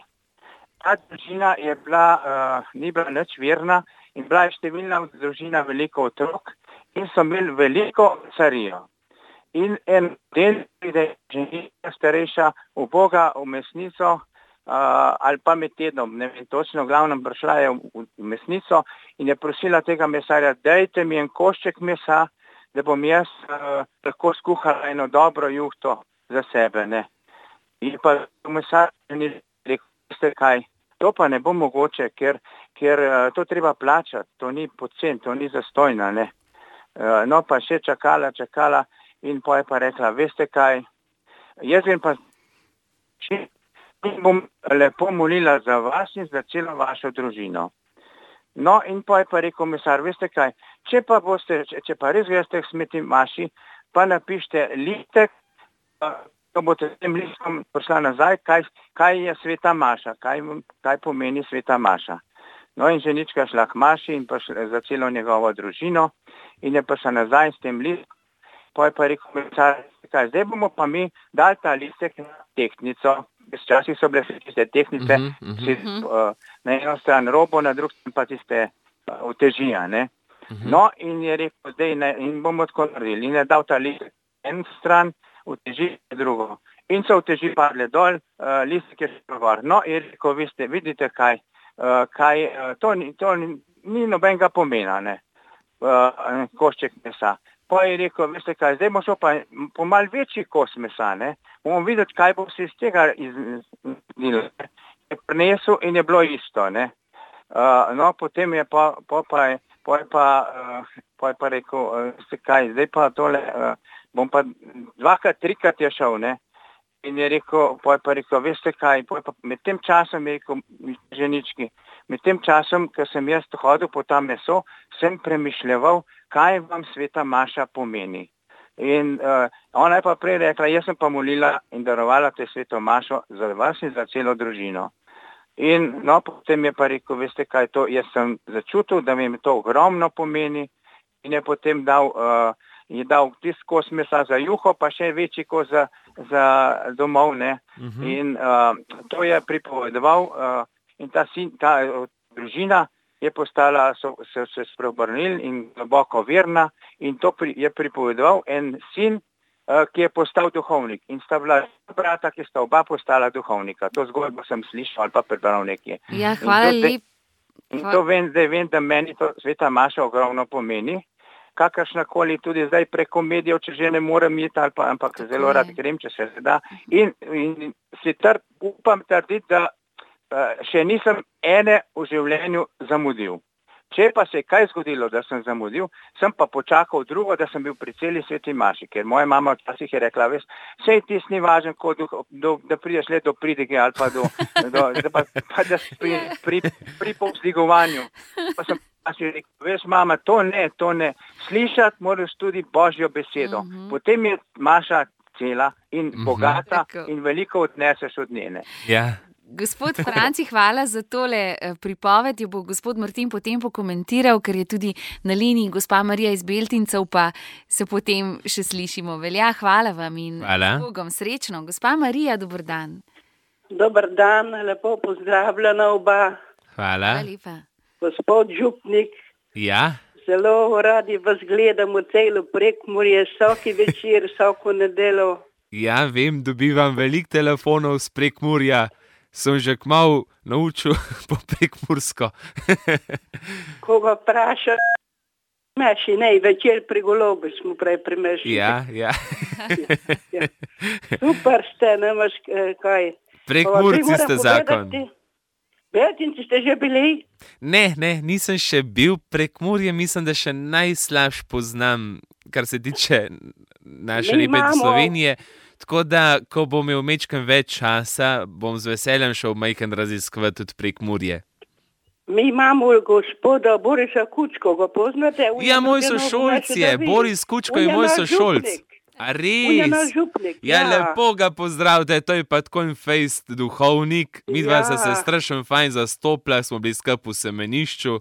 Ta družina je bila, uh, ni bila nič verna in bila je številna družina, veliko otrok in so imeli veliko carijo. In en del pride ženika starejša v Boga v mesnico uh, ali pa med tednom, ne vem točno, v glavnem prišla je v, v mesnico in je prosila tega mesarja, dajte mi en košček mesa, da bom jaz uh, lahko skuhala eno dobro juhto za sebe. Ne. In pa mesar ni rekel, veste kaj, to pa ne bo mogoče, ker, ker uh, to treba plačati, to ni pocen, to ni zastojna. Ne. Uh, no pa še čakala, čakala. In pa je pa rekla, veste kaj, jaz vem pa, če bom lepo molila za vas in za celo vašo družino. No in pa je pa rekel mesar, veste kaj, če pa boste, če, če pa res greste k sveti Maši, pa napište listek, ko boste s tem listom poslali nazaj, kaj, kaj je sveta Maša, kaj, kaj pomeni sveta Maša. No in ženička šla k Maši in pa šla za celo njegovo družino in je pa šla nazaj s tem listom. Pa je pa rekel mesar, kaj, zdaj bomo pa mi dali ta listek na tehtnico. Včasih so bile tiste tehtnice, Mhm, mhm. si, uh, na eno stran robo, na drugi stran pa tiste uh, utežija. Ne? No in je rekel, zdaj ne, in bomo tako naredili. In je dal ta listek en stran, uteži drugo. In so uteži padle dol, uh, listek je šel gor. No in je rekel, vi ste, vidite kaj, uh, kaj uh, to, ni, to ni, ni nobenega pomena, ne? Uh, košček mesa. Pa je rekel, veste kaj, zdaj bomo šel pa po mal večji kos mesa, ne? Bomo videti, kaj bo se iz tega iznilo. Je prinesel in je bilo isto, ne? Uh, no, potem je pa, pa, pa, je, pa, je pa, uh, pa je pa rekel, uh, veste kaj, zdaj pa tole, uh, bom pa dvakrat, trikrat je šel, ne? In je rekel, pa je pa rekel, veste kaj, pa je pa med tem časom je rekel, ženički, med tem časom, ko sem jaz hodil po ta meso, sem premišljeval, kaj vam sveta Maša pomeni. In uh, ona je pa prej rekla, jaz sem pa molila in darovala te sveto Mašo za vas in za celo družino. In no, potem je pa rekel, veste kaj, to jaz sem začutil, da mi to ogromno pomeni in je potem dal, uh, je dal tist kos mesa za juho, pa še večji kos za, za domov, ne. Mhm. In uh, to je pripovedoval uh, in ta, sin, ta uh, družina je postala, so se, se spreobrnili in globoko verna in to pri, je pripovedoval en sin, uh, ki je postal duhovnik. In sta bila brata, ki sta oba postala duhovnika. To zgodbo sem slišal ali pa prebral nekje. Ja, hvala In to zdaj- lepa. In to vem, zdaj vem, da meni to sveta Maša ogromno pomeni. Kakršnakoli tudi zdaj preko medijev, če že ne morem iti, ali pa, ampak Tako zelo je. rad grem, če se da. In, in si tr, upam trditi, da uh, še nisem ene v življenju zamudil. Če pa se je kaj zgodilo, da sem zamudil, sem pa počakal drugo, da sem bil pri celi sveti maši, ker moja mama včasih je rekla, veš, sej tis ni važen, ko do, do, da prideš le do pridige ali pa do, do da pa, pa da pri, pri, pri povzdigovanju. Pa sem pa si rekel, veš, mama, to ne, to ne. Slišati moraš tudi Božjo besedo. Uh-huh. Potem je Maša cela in uh-huh. bogata in veliko odneseš od njene. Ja. Gospod Franci, hvala za tole pripoved. Jo bo gospod Martin potem pokomentiral, ker je tudi na liniji gospa Marija iz Beltincev, pa se potem še slišimo. Velja, hvala vam in Bogom srečno. Gospa Marija, dober dan. Dober dan, lepo pozdravljena oba. Hvala. Hvala lepa. Gospod župnik, ja. Zelo radi vas gledamo celo Prekmurje, vsaki večer, vsako nedeljo. Ja, vem, dobivam veliko telefonov z Prekmurja. Sem že kmalu naučil po prekmursko. Koga vpraša, meši, ne, večer pri Golobi smo prej primešili. Ja, ja. ja, ja. Super ste, nemaš kaj. Prekmurci ste zakon. Beltinci ste že bili? Ne, ne, nisem še bil. Prekmurje mislim, da še najslabš poznam, kar se tiče naše lepe Slovenije. Tako da, ko bom imel mečkem več časa, bom z veseljem šel majhen raziskovati tudi Prekmurje. Mi imamo gospoda Borisa Kučko, ga poznate? Ja, moj sošolc je, Boris Kučko je moj sošolc. A res? Ja, ja, lepo ga pozdravite, to je pa tako en fejst duhovnik. Midva ja. se strašno fajn zastopila, smo bili skupaj v semenišču.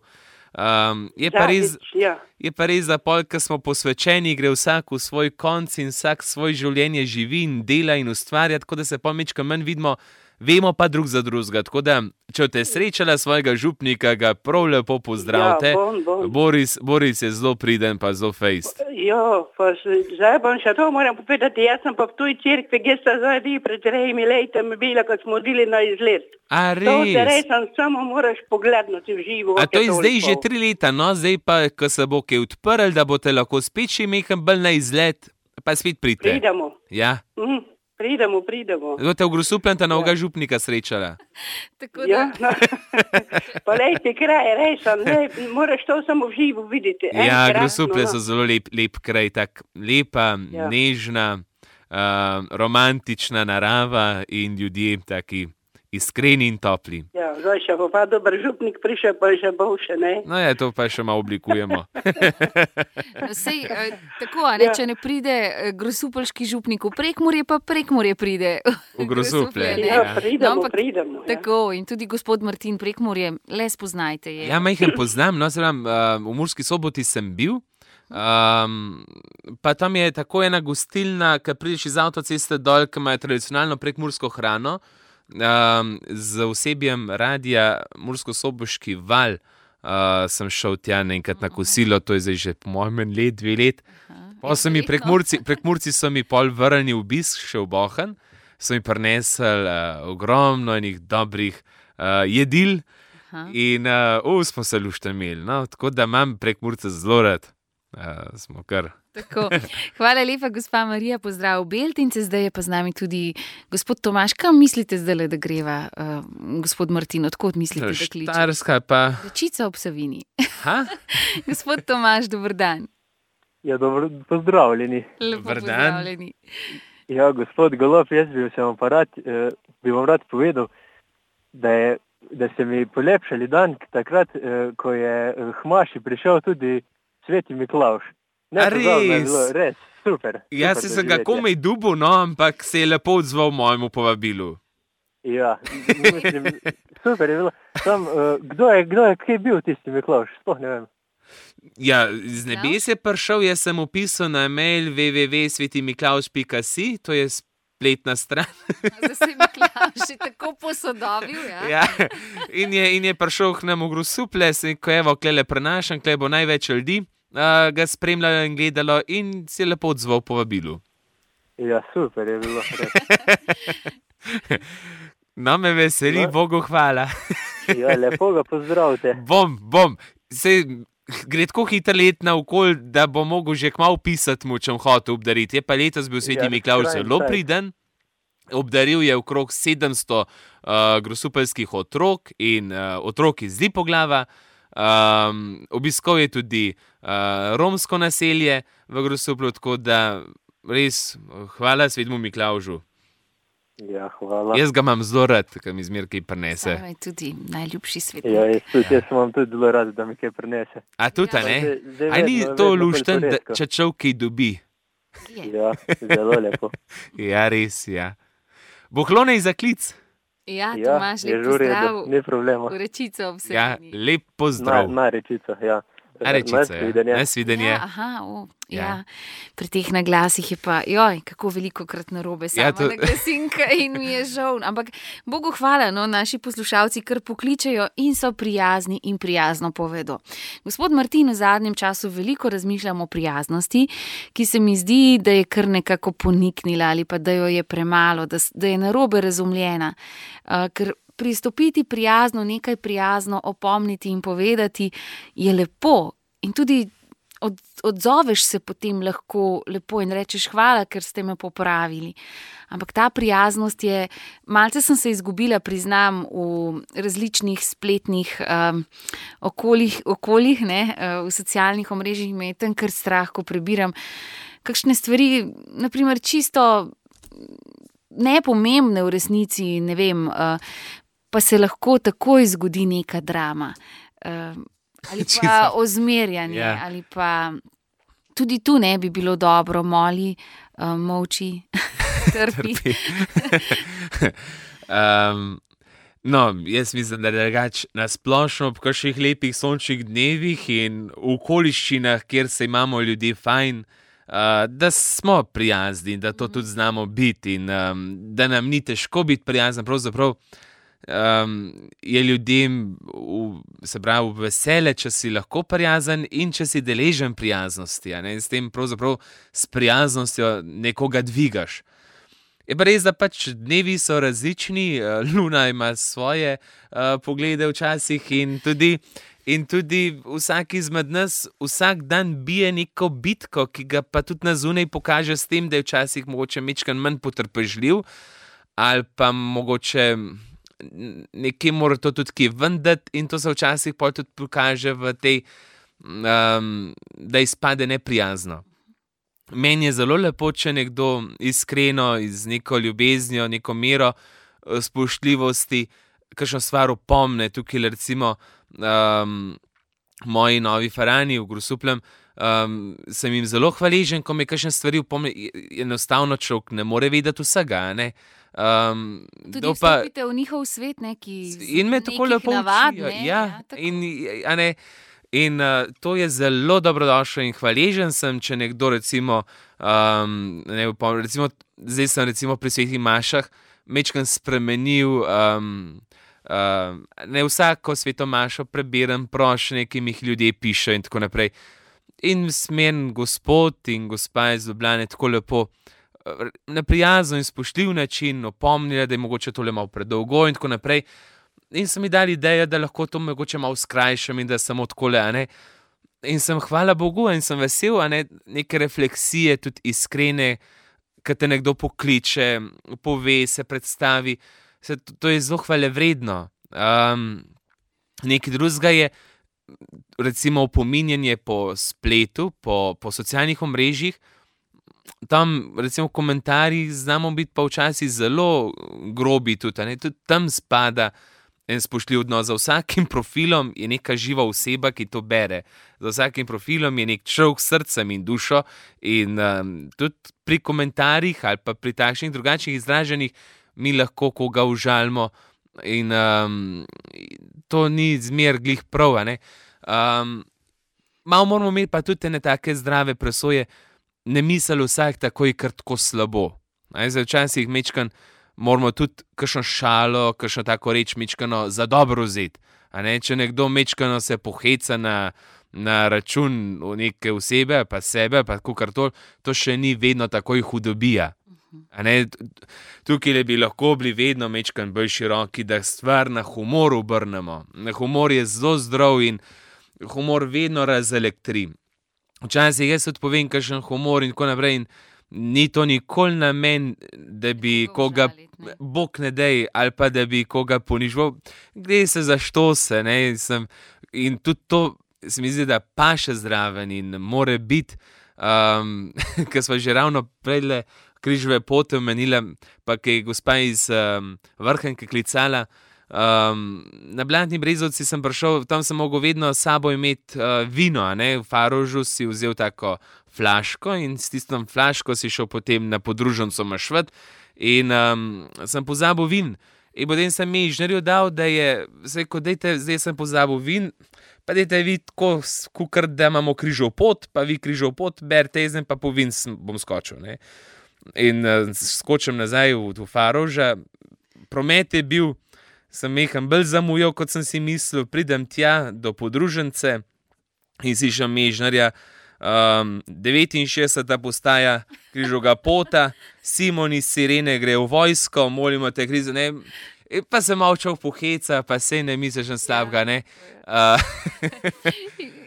Um, je, pa res, ja. je pa res, da pol, ko smo posvečeni, gre vsak v svoj konc in vsak svoje življenje živi in dela in ustvarja, tako da se pol mečka manj vidimo, vemo pa drug za drugega. Tako da, če te srečala svojega župnika, ga prav lepo pozdravite. Ja, bon, bon. Boris, Boris je zelo priden pa zelo fejst. Ja, pa zdaj bom še to moram povedati, jaz sem pa v tuj cerkvi, kjer sta zdaj vi pred trejimi letami bila, ko smo odili na izlet. A res? To te res samo moraš pogledati v živo. A to je zdaj že tri leta, no, zdaj pa, ko se bo kaj odprl, da boste lahko spet še mehen bolj na izlet, pa spet pridite. Pridemo. Ja. Mhm. Pridemo, pridemo. Boste v Grosupljem novega ja. župnika srečala. Tako da. Ja, no. Pa lejte kraj, res, lep, moraš to samo v živo videti. Ja, Grosuplje so zelo lep, lep kraj, tak lepa, ja. nežna, uh, romantična narava in ljudje taki iskreni in topli. Ja, zdaj še bo pa dober župnik prišel, pa že bo še, ne? No ja, to pa še malo oblikujemo. No, sej, tako, ne, ja. če ne pride grosupeljski župnik v Prekmurje, pa Prekmurje pride v Grosuplje. Ja, pridemo, no, pridemo. Ja. Tako, in tudi gospod Martin Prekmurje, le spoznajte je. Ja, majhen poznam, no, zdaj, uh, v Murski Soboti sem bil, um, pa tam je tako ena gostilna, ki prideš iz avtoceste dol, ki ima tradicionalno prekmursko hrano, Um, z osebjem radia Mursko-Soboški val uh, sem šel tja enkrat na kosilo, to je zdaj že po mojem let, dve let. Pa so mi prekmurci, prekmurci so mi pol vrnili obisk še v Bohan, so mi prinesli uh, ogromno enih dobrih uh, jedil Aha. in uh, uh, smo se lušte imeli, no? Tako da imam Prekmurce zelo rad, uh, smo kar. Tako. Hvala lepa, gospa Marija, pozdrav v Beltince, zdaj je pa z nami tudi gospod Tomaž. Kam mislite zdaj, da greva, uh, gospod Martin, odkot mislite, da kliče? Štajerska pa. Rečica ob Savini. Gospod Tomaž, dober dan. Ja, dobro, pozdravljeni. Lepo dober pozdravljeni. Ja, gospod Golob, jaz bi vam pa rad, eh, bi vam rad povedal, da, je, da se mi polepšali dan takrat, eh, ko je Hmaši prišel tudi Sveti Miklavž. Ne, res? res, super. Jaz sem ga komaj dubil, no, ampak se je lepo odzval mojemu povabilu. Ja, mislim, super je bilo. Sam, uh, kdo je, kdo je, kje je bil tisti Miklavž? Sploh ne vem. Ja, z nebes je prišel, jaz sem upisal na mail w w w pika sveti miklavž pika si, to je spletna stran. Zdaj se je Miklavž že tako posodobil, ja. Ja, in je, in je prišel k nam v Grosuplje, ko evo, klele prenašam, klele bo največ ljudi. Uh, ga spremljalo in gledalo in se je lepo odzval povabilu. Ja, super je bilo. No, me veseli, no. Bogu hvala. Ja, lepo ga pozdravite. Bom, bom. Sej, gre tako hitro let na okol, da bo mogel že kmalu pisati mu, če bom hotel obdariti. Je pa letos bil Sveti ja, Miklavž zelo priden. Obdaril je okrog sedemsto uh, grosupeljskih otrok in uh, otrok iz Lipoglava. Um, obiskal je tudi uh, romsko naselje v Grosuplju, tako da res hvala Svetemu Miklavžu. Ja, hvala. Jaz ga imam zelo rad, ker mi zmer kaj prinese. Sama je tudi najljubši svet. Ja, jaz tudi, jaz imam tudi zelo rad, da mi kaj prinese. A tudi, Ja. ne? Zdaj- zdaj A ni vedno- to vedno lušten, bolj da, poredko. če človek kaj dobi? Je. Ja, zelo lepo. Ja, res, ja. Bohlone za klic. Ja, Ja, Tomaž, je lep že v redu, pozdrav. ni problema. V rečico ob Ja, Seveni. lep Na, pozdrav. na rečico, ja. Na rečico, ja. Nasvidenje. Nasvidenje. Ja, aha, o, ja. Ja. Pri teh naglasih je pa, joj, kako veliko krat narobe sama Ja, ja, to- naglasinka in mi je žal. Ampak Bogu hvala, no, naši poslušalci kar pokličejo in so prijazni in prijazno povedo. Gospod Martin, v zadnjem času veliko razmišljam o prijaznosti, ki se mi zdi, da je kar nekako poniknila ali pa da jo je premalo, da, s- da je narobe razumljena. Uh, ker pristopiti prijazno, nekaj prijazno opomniti in povedati je lepo. In tudi od, odzoveš se potem lahko lepo in rečeš hvala, ker ste me popravili. Ampak ta prijaznost je, malce sem se izgubila, priznam, v različnih spletnih um, okoljih, okoljih ne, uh, v socialnih omrežjih me je tam kar strah, ko prebiram kakšne stvari, naprimer čisto nepomembne v resnici, ne vem, uh, pa se lahko takoj zgodi neka drama. Uh, ali pa Čisto. ozmerjanje, Ja. ali pa tudi tu ne bi bilo dobro, moli, uh, molči, trpi. um, no, jaz mislim, da je drugače nasplošno ob kakšnih lepih sončnih dnevih in v okoliščinah, kjer se imamo ljudje fajn, uh, da smo prijazni, da to tudi znamo biti in um, da nam ni težko biti prijazen. Pravzaprav um, je ljudem v, se pravi, v vesele, če si lahko prijazen in če si deležen prijaznosti. a ne, in s tem pravzaprav s prijaznostjo nekoga dvigaš. Je pa res, da pač dnevi so različni, eh, Luna ima svoje uh, poglede včasih in tudi, in tudi vsak izmed nas vsak dan bije neko bitko, ki ga pa tudi na zunaj pokaže s tem, da je včasih mogoče mečkan manj potrpežljiv ali pa mogoče n- nekje mora to tudi kje vendati in to se včasih pol tudi pokaže v tej, um, da izpade neprijazno. Meni je zelo lepo, če nekdo iskreno, z neko ljubeznijo, neko mero eh, spoštljivosti, kakšno stvar opomne. Tukaj recimo um, moji novi farani v Grosupljem, um, sem jim zelo hvaležen, ko me kakšne stvari opomne. Enostavno človek ne more vedeti vsega. a Ne? Um, Tudi to pa- vstopite v njihov svet, ne, ki In me tako lepo navad, učijo. ne, Ja, tako. in, a ne, in uh, to je zelo dobrodošlo in hvaležen sem, če nekdo recimo, um, ne, upom- recimo zdaj sem recimo pri svetih mašah mečkam spremenil, um, uh, ne vsako sveto mašo preberem prošnje, ki mi jih ljudje pišejo in tako naprej. In smen gospod in gospa iz Ljubljane tako lepo eh, na prijazen in spoštljiv način opomnila, da je mogoče tole malo predolgo in tako naprej. In so mi dali idejo, da lahko to mogoče malo skrajšam in da samo takole, a ne. In sem hvala Bogu in sem vesel, a ne, neke refleksije, tudi iskrene, ko te nekdo pokliče, pove, se predstavi. Se, to, to je zelo hvalevredno. Um, nekaj drugega je, recimo, opominjanje po spletu, po, po socialnih omrežjih. Tam, recimo, v komentarjih znamo biti pa včasih zelo grobi tudi, a ne, tudi tam spada en spoštljiv odnos. Za vsakim profilom je neka živa oseba, ki to bere. Za vsakim profilom je nek človek s srcem in dušo in um, tudi pri komentarjih ali pa pri takšnih drugačnih izraženjih mi lahko koga užalimo in um, to ni zmer glih prav, a ne. Um, malo moramo imeti pa tudi ene take zdrave presoje, ne misli vsak takoj kar tako slabo. A ne, zdaj včasih mečkan moramo tudi kakšno šalo, kakšno tako reč mečkano za dobro vzeti. A ne, če nekdo mečkano se poheca na, na račun neke osebe, pa sebe, pa kakor to, to še ni vedno takoj hudobija. A ne, t- t- tukaj bi lahko bili vedno mečkan bolj široki, da stvar na humor obrnemo. Humor je zelo zdrav in humor vedno razelektri. Včasih jaz tudi povem kakšen humor in tako naprej in ni to nikoli namen, da bi koga, bog ne dej, ali pa da bi koga ponižval. Gre se za štose, ne, sem, in tudi to se mi zdi, da paše zraven in more biti, um, ker smo že ravno predle križove pote omenila, pa ki je gospa iz um, Vrhnika klicala, um, na Blatni Brezovci sem prišel, tam sem mogel vedno s sabo imeti uh, vino, a ne, v Farožu si vzel tako flaško in s tistom flaško si šel potem na podružnico mašvet in um, sem pozabil vin. In potem sem mi inženirju dal, da je, zdaj, ko dejte, zdaj sem pozabil vin, pa dejte vi tako, kukr, da imamo križov pot, pa vi križov pot, berte jezden, pa po vin bom skočil. Ne? In uh, skočim nazaj v, v Faroža, promet je bil, sem mehan bolj zamujal, kot sem si mislil, pridem tja do podružnice in si še inženirja, Um, devetinšestdeseta postaja križovega pota, Simon iz Sirene gre v vojsko, molimo te krize, ne, pa se malo čov poheca, pa sej ne misliš na slabega, ne. Uh.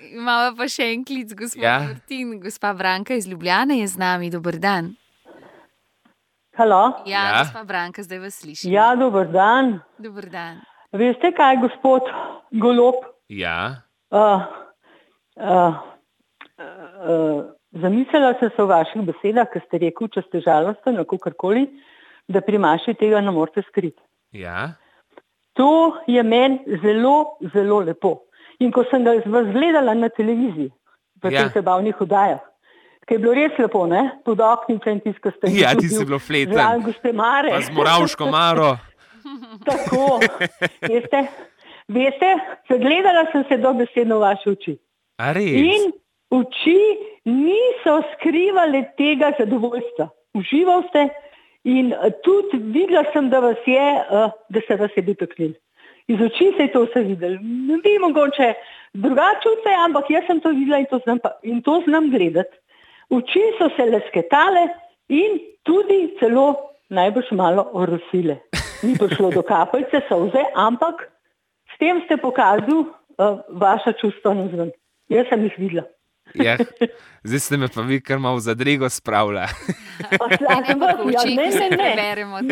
Imamo pa še en klic, gospod ja. Martin, gospa Branka iz Ljubljane je z nami, dober dan. Halo? Ja, ja, gospa Branka, zdaj vas slišim. Ja, dober dan. Dober dan. Veste kaj, gospod Golob? Ja. Uh, uh, Uh, zamislila sem se v vaših besedah, ker ste rekel, če ste žalosten, kakorkoli, da pri maši tega ne morete skriti. Ja. To je meni zelo, zelo lepo. In ko sem ga vas gledala na televiziji, v ja. teh zabavnih oddajah, ker je bilo res lepo, ne? Pod oknicem tisto ste. Ja, ti si bilo fleten. Zraven gospe Mare. Pa z Moravško Maro. Tako, veste, veste, gledala sem se dobesedno v vaše oči. A res? In oči niso skrivale tega zadovoljstva. Užival ste in tudi videla sem, da vas je, da se vas je dotaknili. Iz oči se je to vse videli. Ne bi mogoče drugače vse, ampak jaz sem to videla in to znam, in to znam gledati. Oči so se lesketale in tudi celo najbrž malo orosile. Ni prišlo do kapljice solze, ampak s tem ste pokazali uh, vaša čustva nazven. Jaz sem jih videla. Ja, zdaj ste me pa vi kar malo v zadrego spravila. Ja, ne, ne, ne.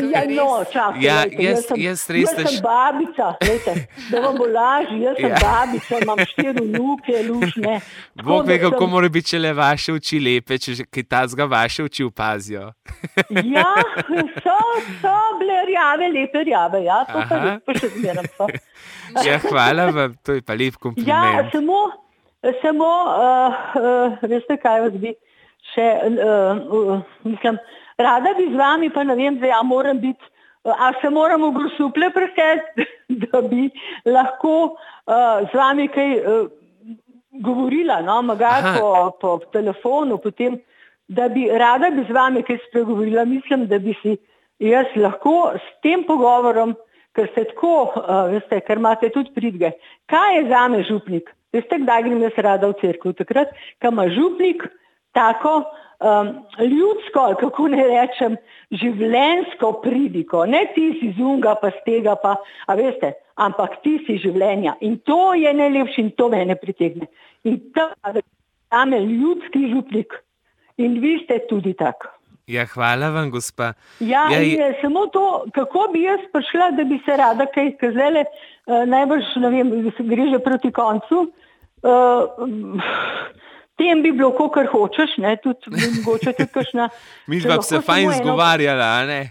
Ja, no, čakaj, ja, lejte, jaz, jaz, sem, jaz, res jaz sem babica, lejte, da vam bo lažje, jaz sem Ja. babica, imam štiri vnuke, lušne. Bog ve, kako mora biti, če le vaše oči lepe, če že kaj tazga vaše oči opazijo. Ja, so, so bile rjave, lepe rjave, ja, to pa, Aha. res, pa še zmeram so. Ja, hvala vam, to je pa lep Ja, kompliment. samo, samo, uh, uh, veste kaj vas bi še, uh, uh, mislim, rada bi z vami, pa ne vem, zdaj, a moram biti, uh, a se moram v Grosuplje preseliti, da bi lahko uh, z vami kaj uh, govorila, no, mogoče po, po telefonu, potem, da bi, rada bi z vami kaj spregovorila, mislim, da bi si jaz lahko s tem pogovorom, ker ste tako, uh, veste, ker imate tudi pridge, kaj je zame župnik? Veste, kdaj grem jaz rada v cerkev? Takrat, ko ima župnik tako um, ljudsko, ali kako ne rečem, življenjsko pridiko. Ne ti si zunga, pa z tega, pa, a veste, ampak ti si življenja. In to je najlepše in to mene pritegne. In to je zame ljudski župnik. In vi ste tudi tak. Ja, hvala vam, gospa. Ja, Ja, in je samo to, kako bi jaz prišla, da bi se rada kaj, ker zdajle uh, najbrž, ne vem, gre že proti koncu, uh, tem bi bilo, kakor hočeš, ne, tudi mogoče tudi kakšna. Mi če pa lahko se fajn samo eno- zgovarjala, a ne?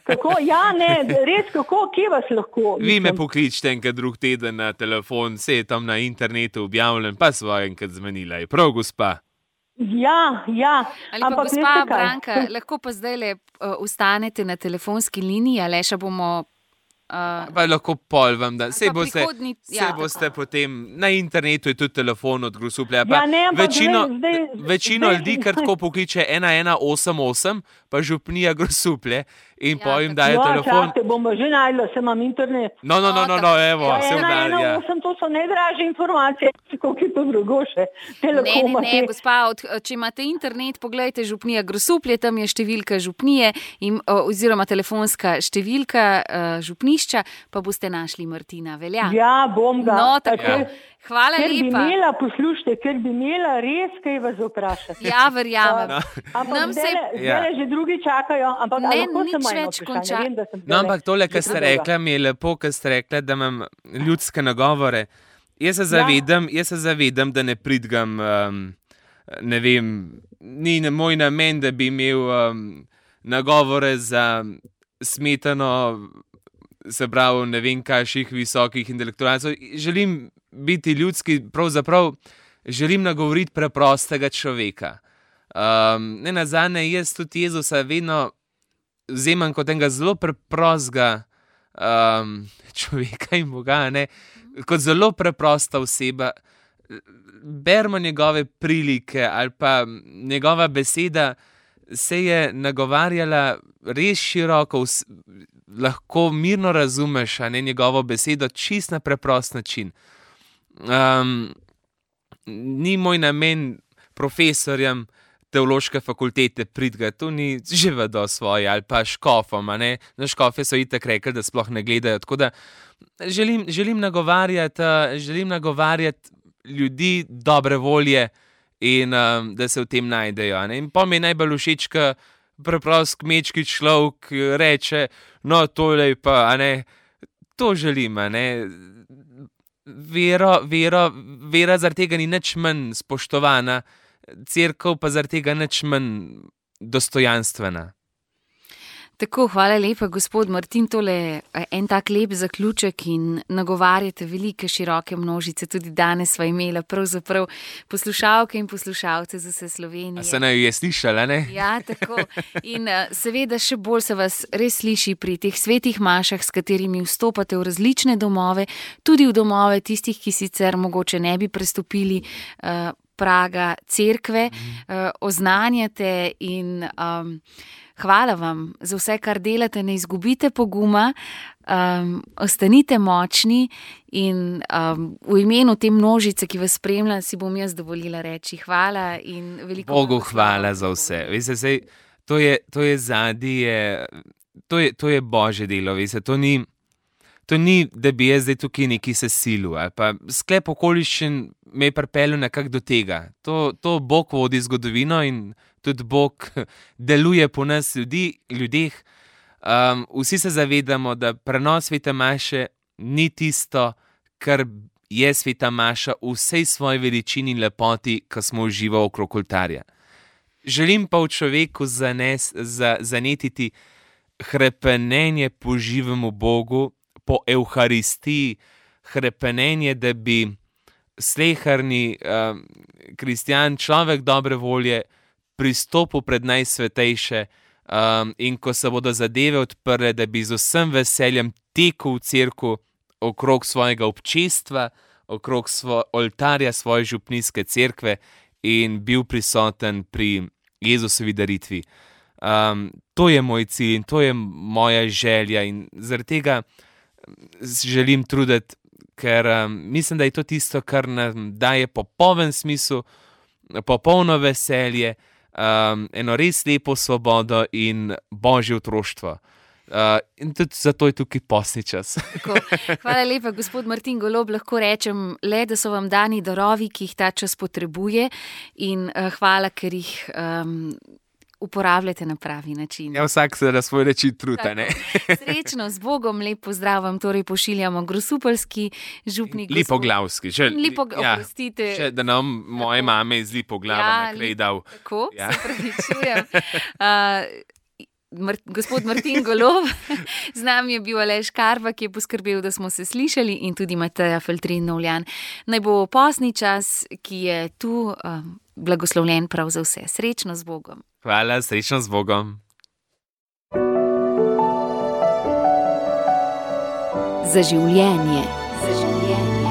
Kako, ja, ne, res, kako, kje vas lahko? Vi me mislim? pokličite enkrat drug teden na telefon, vse je tam na internetu objavljen, pa svoje enkrat zmenila. Je prav, gospa? Ja, ja. Ali pa ampak gospa veste kaj? Branka, lahko pa zdaj le uh, ustanete na telefonski liniji, Aleša bomo. Uh, Pa lahko pol vam da. Sej pa boste, prihodnji- sej ja, boste potem, na internetu je tudi telefon od Grosuplja. Ja, ne, ampak večino zdaj- zdaj- večino zdaj- ljudi kar tako pokliče ena ena osem osem, pa župnija Grosuplje in ja, po jim dajo no, telefon. čakajte, bomo že najdla, se imam internet. No, no, no, no, no, evo, Ja, se ena, udar, ena, ja. osem, to so najdražje informacije, koliko je to drugo še. Ne, ne, Telekoma, ne, te- gospa, od, če imate internet, poglejte župnija Grosuplje, tam je številka župnije in, uh, oziroma telefonska številka uh, župnišča, pa boste našli Martina Velja. Ja, bom ga. No, tako. Ker- Hvala ker bi lepa. imela, poslušajte, ker bi imela res kaj vas vprašati. Ja, verjamem. Uh, ampak Nam zdaj, se- Ja. zdaj že drugi čakajo, ampak a Ne, lahko nič samo eno več vprašanje, konča- vem, da sem No, ampak tole, kar že ste predolga. rekla, mi je lepo, kar ste rekla, da imam ljudske nagovore. Jaz se zavedam, jaz se zavedam, da ne pridgam, um, ne vem, ni na moj namen, da bi imel um, nagovore za smetano, se pravi, ne vem, kakšnih visokih intelektualcev. Želim biti ljudski, pravzaprav želim nagovoriti preprostega človeka. Um, ne nazadnje, jaz tudi Jezusa vedno vzemam kot enega zelo preprostega um, človeka in Boga, ne, kot zelo preprosta oseba. Bermo njegove prilike ali pa njegova beseda se je nagovarjala res široko, lahko mirno razumeš, a ne, njegovo besedo čist na preprost način. Um, ni moj namen profesorjem teološke fakultete pridga, to ni že vedo svoje, ali pa škofom, a ne, na škofe so itak rekli, da sploh ne gledajo, tako da želim, želim nagovarjati, želim nagovarjati ljudi dobre volje in um, da se v tem najdejo, a ne, in pa mi je najbolj všeč, ko preprost kmečki človek reče, no, tole pa, a ne, to želim, a ne, vero, vero, vera zaradi tega ni nič manj spoštovana, cerkev pa zaradi tega nič manj dostojanstvena. Tako, hvala lepa, gospod Martin, tole je en tak lep zaključek in nagovarjate velike, široke množice, tudi danes sva imela pravzaprav poslušalke in poslušalce z vse Slovenije. A se naj je slišala, ne? Ja, tako. In seveda še bolj se vas res sliši pri teh svetih mašah, s katerimi vstopate v različne domove, tudi v domove tistih, ki sicer mogoče ne bi prestopili uh, praga cerkve, uh, oznanjate in um, hvala vam za vse, kar delate, ne izgubite poguma, um, ostanite močni in um, v imenu te množice, ki vas spremlja, si bom jaz dovolila reči hvala in veliko Bogu hvala za vse. Veste, sej, to je, to je zadnje, to je, to je Božje delo, veste, to ni, to ni, da bi jaz zdaj tukaj neki se silil, ali pa sklep okoliščin me je pripeljal nekako do tega. To, to Bog vodi zgodovino in tudi Bog deluje po nas ljudi, ljudeh. Um, vsi se zavedamo, da prenos svete maše ni tisto, kar je sveta maša v vsej svoji veličini in lepoti, ko smo uživali okrog oltarja. Želim pa v človeku zanes, za, zanetiti hrepenenje po živemu Bogu, po Evharistiji, hrepenenje, da bi sleherni um, kristjan, človek dobre volje, pristopil pred najsvetejše um, in ko se bodo zadeve odprle, da bi z vsem veseljem tekel v cerkev okrog svojega občestva, okrog svo, oltarja svoje župnijske cerkve in bil prisoten pri Jezusovi daritvi. Um, to je moj cilj in to je moja želja in zaradi tega želim truditi, ker um, mislim, da je to tisto, kar nam daje popoln smisel, popolno veselje, um, eno res lepo svobodo in Božje otroštvo. Uh, in tudi zato je tukaj postni čas. Tako, hvala lepa, gospod Martin Golob. Lahko rečem le, da so vam dani darovi, ki jih ta čas potrebuje in uh, hvala, ker jih um, uporabljate na pravi način. Ja, vsak se na svoj način truta, ne? Srečno, z Bogom, lep pozdrav vam torej pošiljamo grosupeljski župnik. Lipoglavski. Še, Lipo, ja, oprostite. Še, da nam moje mame iz Lipoglava ja, nekaj dal. Tako, ja. Se pravičujem. Uh, Mar, gospod Martin Golob, z nami je bil Aleš Karba, ki je poskrbel, da smo se slišali, in tudi Mateja Feltrin Novljan. Naj bo postni čas, ki je tu, uh, blagoslovljen prav za vse. Srečno z Bogom. Hvala, srečno z Bogom. Za življenje. Za življenje.